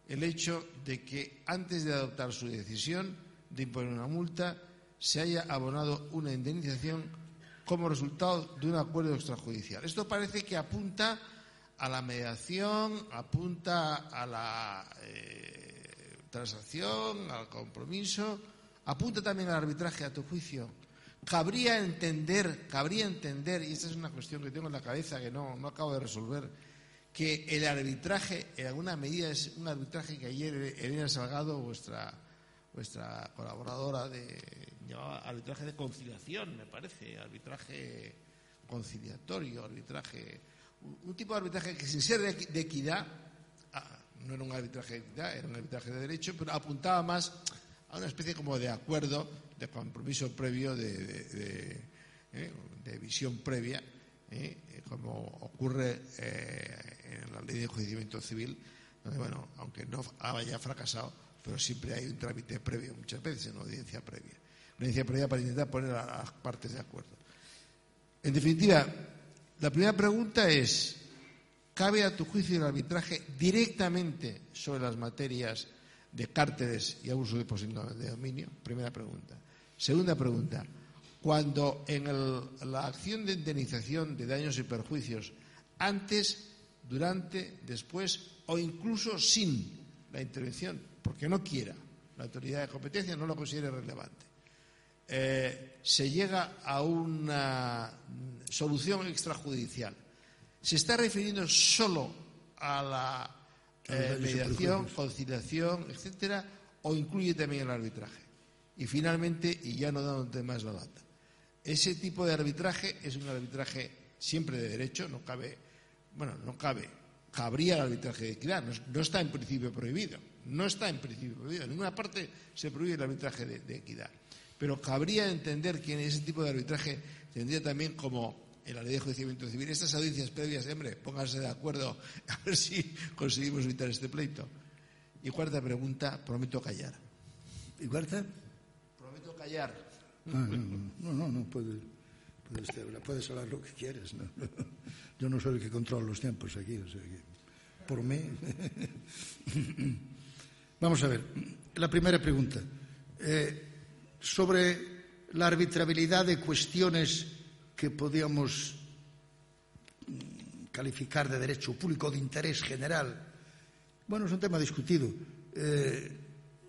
el hecho de que antes de adoptar su decisión de imponer una multa se haya abonado una indemnización como resultado de un acuerdo extrajudicial. Esto parece que apunta a la mediación, apunta a la eh, transacción, al compromiso, apunta también al arbitraje, a tu juicio. Cabría entender, cabría entender, y esta es una cuestión que tengo en la cabeza que no, no acabo de resolver, que el arbitraje, en alguna medida, es un arbitraje que ayer Elena Salgado, vuestra, vuestra colaboradora, de, llamaba arbitraje de conciliación, me parece, arbitraje conciliatorio, arbitraje, un, un tipo de arbitraje que sin ser de, de equidad, ah, no era un arbitraje de equidad, era un arbitraje de derecho, pero apuntaba más a una especie como de acuerdo, de compromiso previo, de, de, de, eh, de visión previa, eh, como ocurre eh, en la ley de enjuiciamiento civil, donde, bueno, aunque no haya fracasado, pero siempre hay un trámite previo, muchas veces, una audiencia previa. Una audiencia previa para intentar poner a las partes de acuerdo. En definitiva, la primera pregunta es: ¿cabe a tu juicio el arbitraje directamente sobre las materias de cárteles y abuso de posición de dominio? Primera pregunta. Segunda pregunta: cuando en el, la acción de indemnización de daños y perjuicios, antes, durante, después o incluso sin la intervención, porque no quiera, la autoridad de competencia no lo considere relevante, eh, se llega a una solución extrajudicial, ¿se está refiriendo solo a la eh, mediación, conciliación, etcétera, o incluye también el arbitraje? Y finalmente, y ya no dándote más la lata, ese tipo de arbitraje es un arbitraje siempre de derecho, no cabe, bueno, no cabe, cabría el arbitraje de equidad, no, no está en principio prohibido, no está en principio prohibido, en ninguna parte se prohíbe el arbitraje de, de equidad, pero cabría entender que en ese tipo de arbitraje tendría también, como en la ley de enjuiciamiento civil, estas audiencias previas, hombre, pónganse de acuerdo a ver si conseguimos evitar este pleito. Y cuarta pregunta, prometo callar. ¿Y cuarta? Prometo callar. Ah, no, no, no, no puedes, puedes, hablar, puedes hablar lo que quieres. ¿No? Yo no soy el que controla los tiempos aquí, o sea que por mí. Vamos a ver, la primera pregunta. Eh, sobre la arbitrabilidad de cuestiones que podíamos calificar de derecho público, de interés general. Bueno, es un tema discutido. Eh,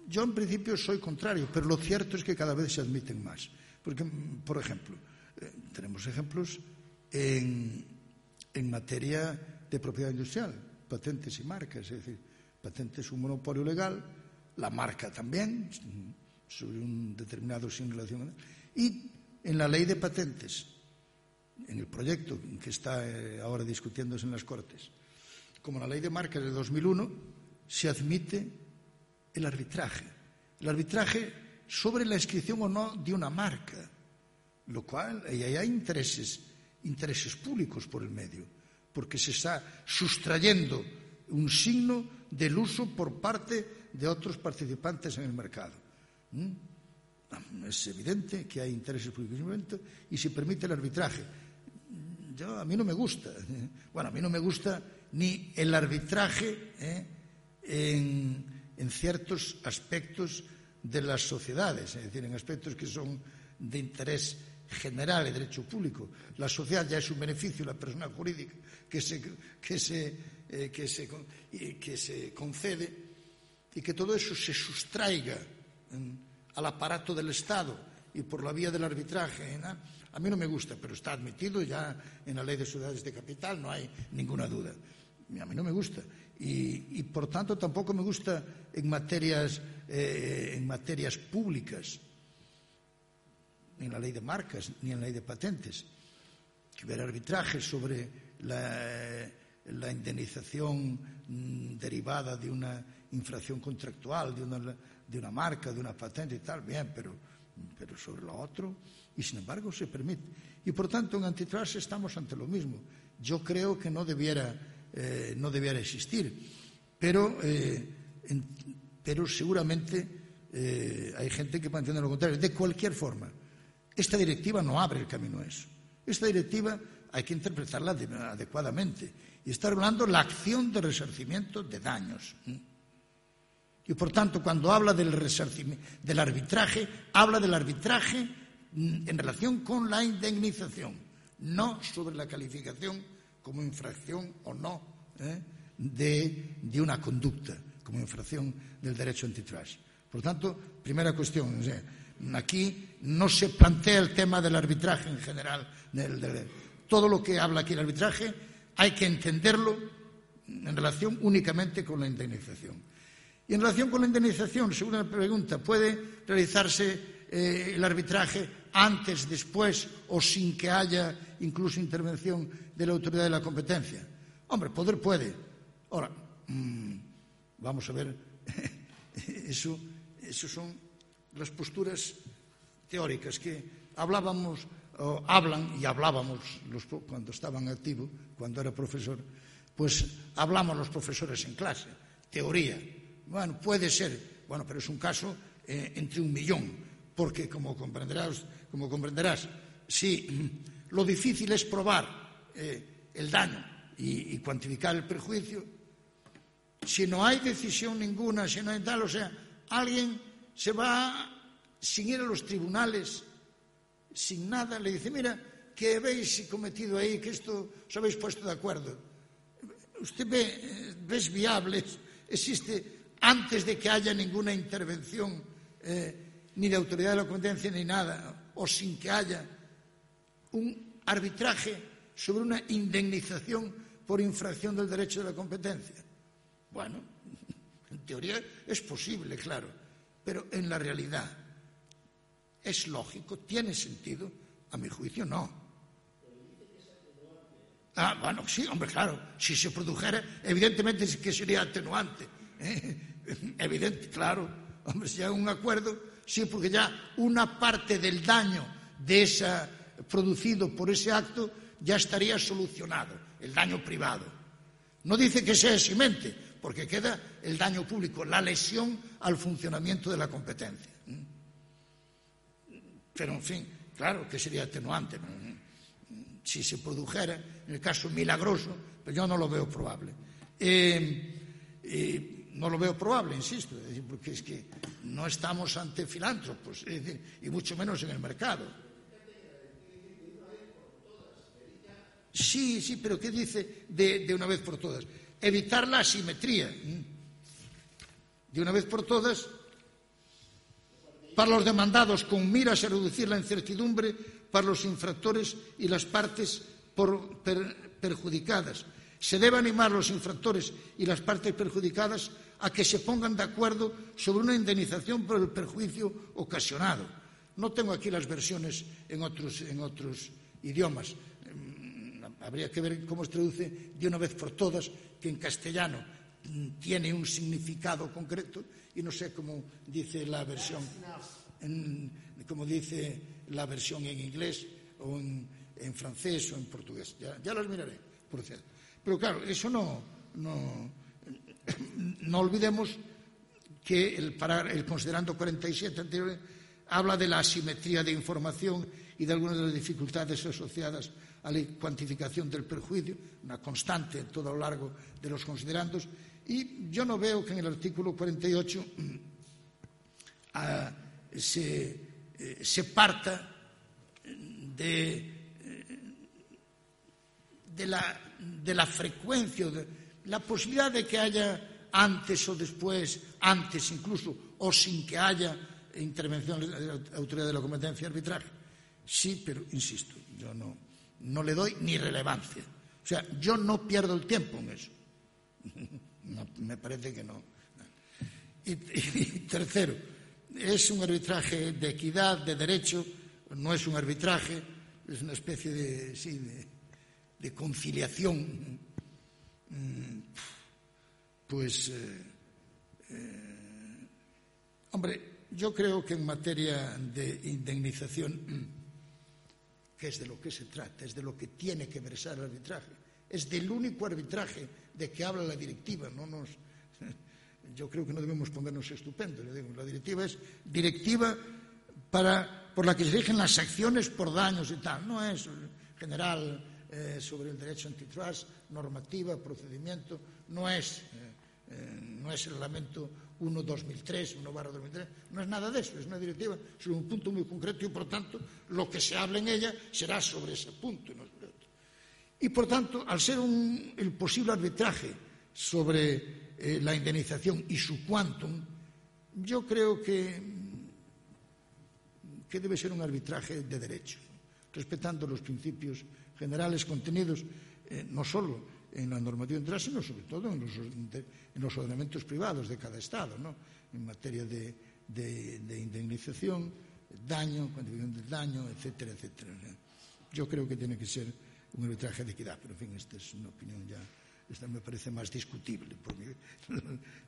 yo en principio soy contrario, pero lo cierto es que cada vez se admiten más. Porque, por ejemplo, eh, tenemos ejemplos en, en materia de propiedad industrial, patentes y marcas. Es decir, patente es un monopolio legal, la marca también, sobre un determinado sin relación. Y en la ley de patentes, en el proyecto que está eh, ahora discutiéndose en las Cortes, como la ley de marcas de dos mil uno, se admite el arbitraje. El arbitraje sobre la inscripción o no de una marca, lo cual, y ahí hay intereses, intereses públicos por el medio, porque se está sustrayendo un signo del uso por parte de otros participantes en el mercado. ¿Mm? Es evidente que hay intereses públicos en el momento y se permite el arbitraje. Yo, a mí no me gusta. Bueno, a mí no me gusta ni el arbitraje ¿eh? en, en ciertos aspectos de las sociedades, es decir, en aspectos que son de interés general y derecho público. La sociedad ya es un beneficio, la persona jurídica que se, que se, eh, que se, que se concede, y que todo eso se sustraiga eh, al aparato del Estado y por la vía del arbitraje, ¿no? A mí no me gusta, pero está admitido ya en la ley de sociedades de capital, no hay ninguna duda. A mí no me gusta. Y, y por tanto, tampoco me gusta en materias, eh, en materias públicas, ni en la ley de marcas, ni en la ley de patentes, que hubiera arbitraje sobre la, la indemnización mmm, derivada de una infracción contractual, de una, de una marca, de una patente y tal, bien, pero pero sobre lo otro, y sin embargo se permite. Y por tanto en antitrust estamos ante lo mismo. Yo creo que no debiera, eh, no debiera existir, pero, eh, en, pero seguramente eh, hay gente que mantiene lo contrario. De cualquier forma, esta directiva no abre el camino a eso. Esta directiva hay que interpretarla adecuadamente y está regulando la acción de resarcimiento de daños. Y por tanto, cuando habla del resarcimiento, del arbitraje, habla del arbitraje en relación con la indemnización, no sobre la calificación como infracción o no ¿eh? de, de una conducta, como infracción del derecho antitrust. Por tanto, primera cuestión, o sea, aquí no se plantea el tema del arbitraje en general. Del, del, todo lo que habla aquí el arbitraje hay que entenderlo en relación únicamente con la indemnización. Y en relación con la indemnización, según la pregunta, ¿puede realizarse eh, el arbitraje antes, después o sin que haya incluso intervención de la autoridad de la competencia? Hombre, poder puede. Ahora, mmm, vamos a ver, eso, eso son las posturas teóricas que hablábamos, o hablan y hablábamos los, cuando estaban activos, cuando era profesor, pues hablamos los profesores en clase, teoría. Bueno, puede ser, bueno, pero es un caso eh, entre un millón, porque como comprenderás, como comprenderás, si lo difícil es probar eh, el daño y, y cuantificar el perjuicio, si no hay decisión ninguna, si no hay tal, o sea, alguien se va sin ir a los tribunales, sin nada, le dice, mira, que habéis cometido ahí, que esto os habéis puesto de acuerdo. Usted ve, ves viables, existe antes de que haya ninguna intervención eh, ni de autoridad de la competencia ni nada, o sin que haya un arbitraje sobre una indemnización por infracción del derecho de la competencia. Bueno, en teoría es posible, claro, pero en la realidad es lógico, tiene sentido, a mi juicio no. Ah, bueno, sí, hombre, claro, si se produjera, evidentemente que sería atenuante. ¿Eh? Evidente, claro, hombre, si hay un acuerdo, sí, porque ya una parte del daño de esa, producido por ese acto ya estaría solucionado, el daño privado. No dice que sea eximente, porque queda el daño público, la lesión al funcionamiento de la competencia. Pero, en fin, claro que sería atenuante. Si se produjera, en el caso milagroso, pero yo no lo veo probable. Eh, eh, No lo veo probable, insisto, es decir, porque es que no estamos ante filántropos, es decir, y mucho menos en el mercado. Sí, sí, pero ¿qué dice de, de una vez por todas? Evitar la asimetría. De una vez por todas, para los demandados con miras a reducir la incertidumbre para los infractores y las partes por, per, perjudicadas. Se debe animar a los infractores y las partes perjudicadas a que se pongan de acuerdo sobre una indemnización por el perjuicio ocasionado. No tengo aquí las versiones en otros, en otros idiomas. Habría que ver cómo se traduce de una vez por todas, que en castellano tiene un significado concreto y no sé cómo dice la versión, en, como dice la versión en inglés o en, en francés o en portugués. Ya, ya las miraré, por cierto. Pero claro, eso no, no, no olvidemos que el, para, el considerando cuarenta y siete anterior habla de la asimetría de información y de algunas de las dificultades asociadas a la cuantificación del perjuicio, una constante en todo lo largo de los considerandos, y yo no veo que en el artículo cuarenta y ocho uh, se, eh, se parta de, de, la, de la frecuencia, de la posibilidad de que haya antes o después, antes incluso, o sin que haya intervención de la autoridad de la competencia y arbitraje. Sí, pero insisto, yo no, no le doy ni relevancia. O sea, yo no pierdo el tiempo en eso. No, me parece que no. Y, y tercero, es un arbitraje de equidad, de derecho, no es un arbitraje, es una especie de, sí, de, de conciliación. Pues, eh, eh, hombre, yo creo que en materia de indemnización, que es de lo que se trata, es de lo que tiene que versar el arbitraje, es del único arbitraje de que habla la directiva. No nos, yo creo que no debemos ponernos estupendos. La directiva es directiva para, por la que se rigen las acciones por daños y tal. No es general eh, sobre el derecho antitrust, normativa, procedimiento. No es, eh, eh, no es el reglamento uno barra dos mil tres, uno barra dos mil tres. No es nada de eso. Es una directiva sobre un punto muy concreto y, por tanto, lo que se hable en ella será sobre ese punto. No sobre otro. Y, por tanto, al ser un, el posible arbitraje sobre eh, la indemnización y su quantum, yo creo que, que debe ser un arbitraje de derecho, respetando los principios generales contenidos eh, no solo en la normativa internacional, sino sobre todo en los, de, en los ordenamientos privados de cada Estado, ¿no? En materia de, de, de indemnización, daño, cuantificación del daño, etcétera, etcétera. Yo creo que tiene que ser un arbitraje de equidad, pero en fin, esta es una opinión ya, esta me parece más discutible, por mi,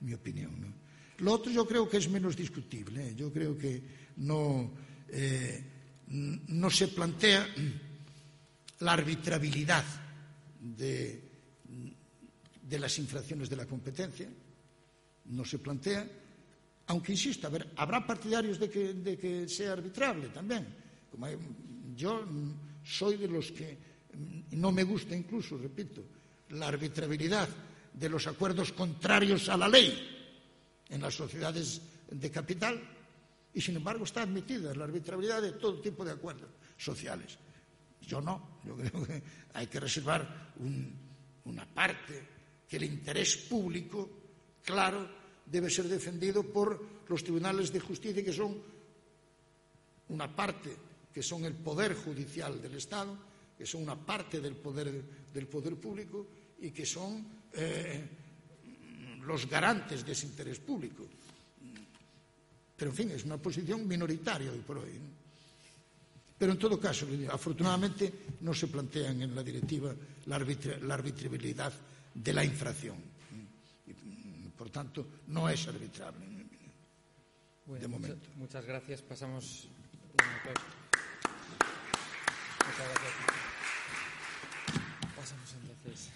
mi opinión, ¿no? Lo otro yo creo que es menos discutible, ¿eh? Yo creo que no, eh, no se plantea la arbitrabilidad de, de las infracciones de la competencia, no se plantea, aunque insisto, a ver, habrá partidarios de que, de que sea arbitrable también. Como hay, yo soy de los que no me gusta incluso, repito, la arbitrabilidad de los acuerdos contrarios a la ley en las sociedades de capital, y sin embargo está admitida la arbitrabilidad de todo tipo de acuerdos sociales. Yo no, yo creo que hay que reservar un, una parte, que el interés público, claro, debe ser defendido por los tribunales de justicia, que son una parte, que son el poder judicial del Estado, que son una parte del poder, del poder público y que son eh, los garantes de ese interés público. Pero, en fin, es una posición minoritaria hoy por hoy, ¿no? Pero, en todo caso, afortunadamente no se plantean en la directiva la, arbitra, la arbitrabilidad de la infracción. Por tanto, no es arbitrable, bueno, de momento. Muchas, muchas gracias. Pasamos un aplauso. Muchas gracias. Pasamos entonces.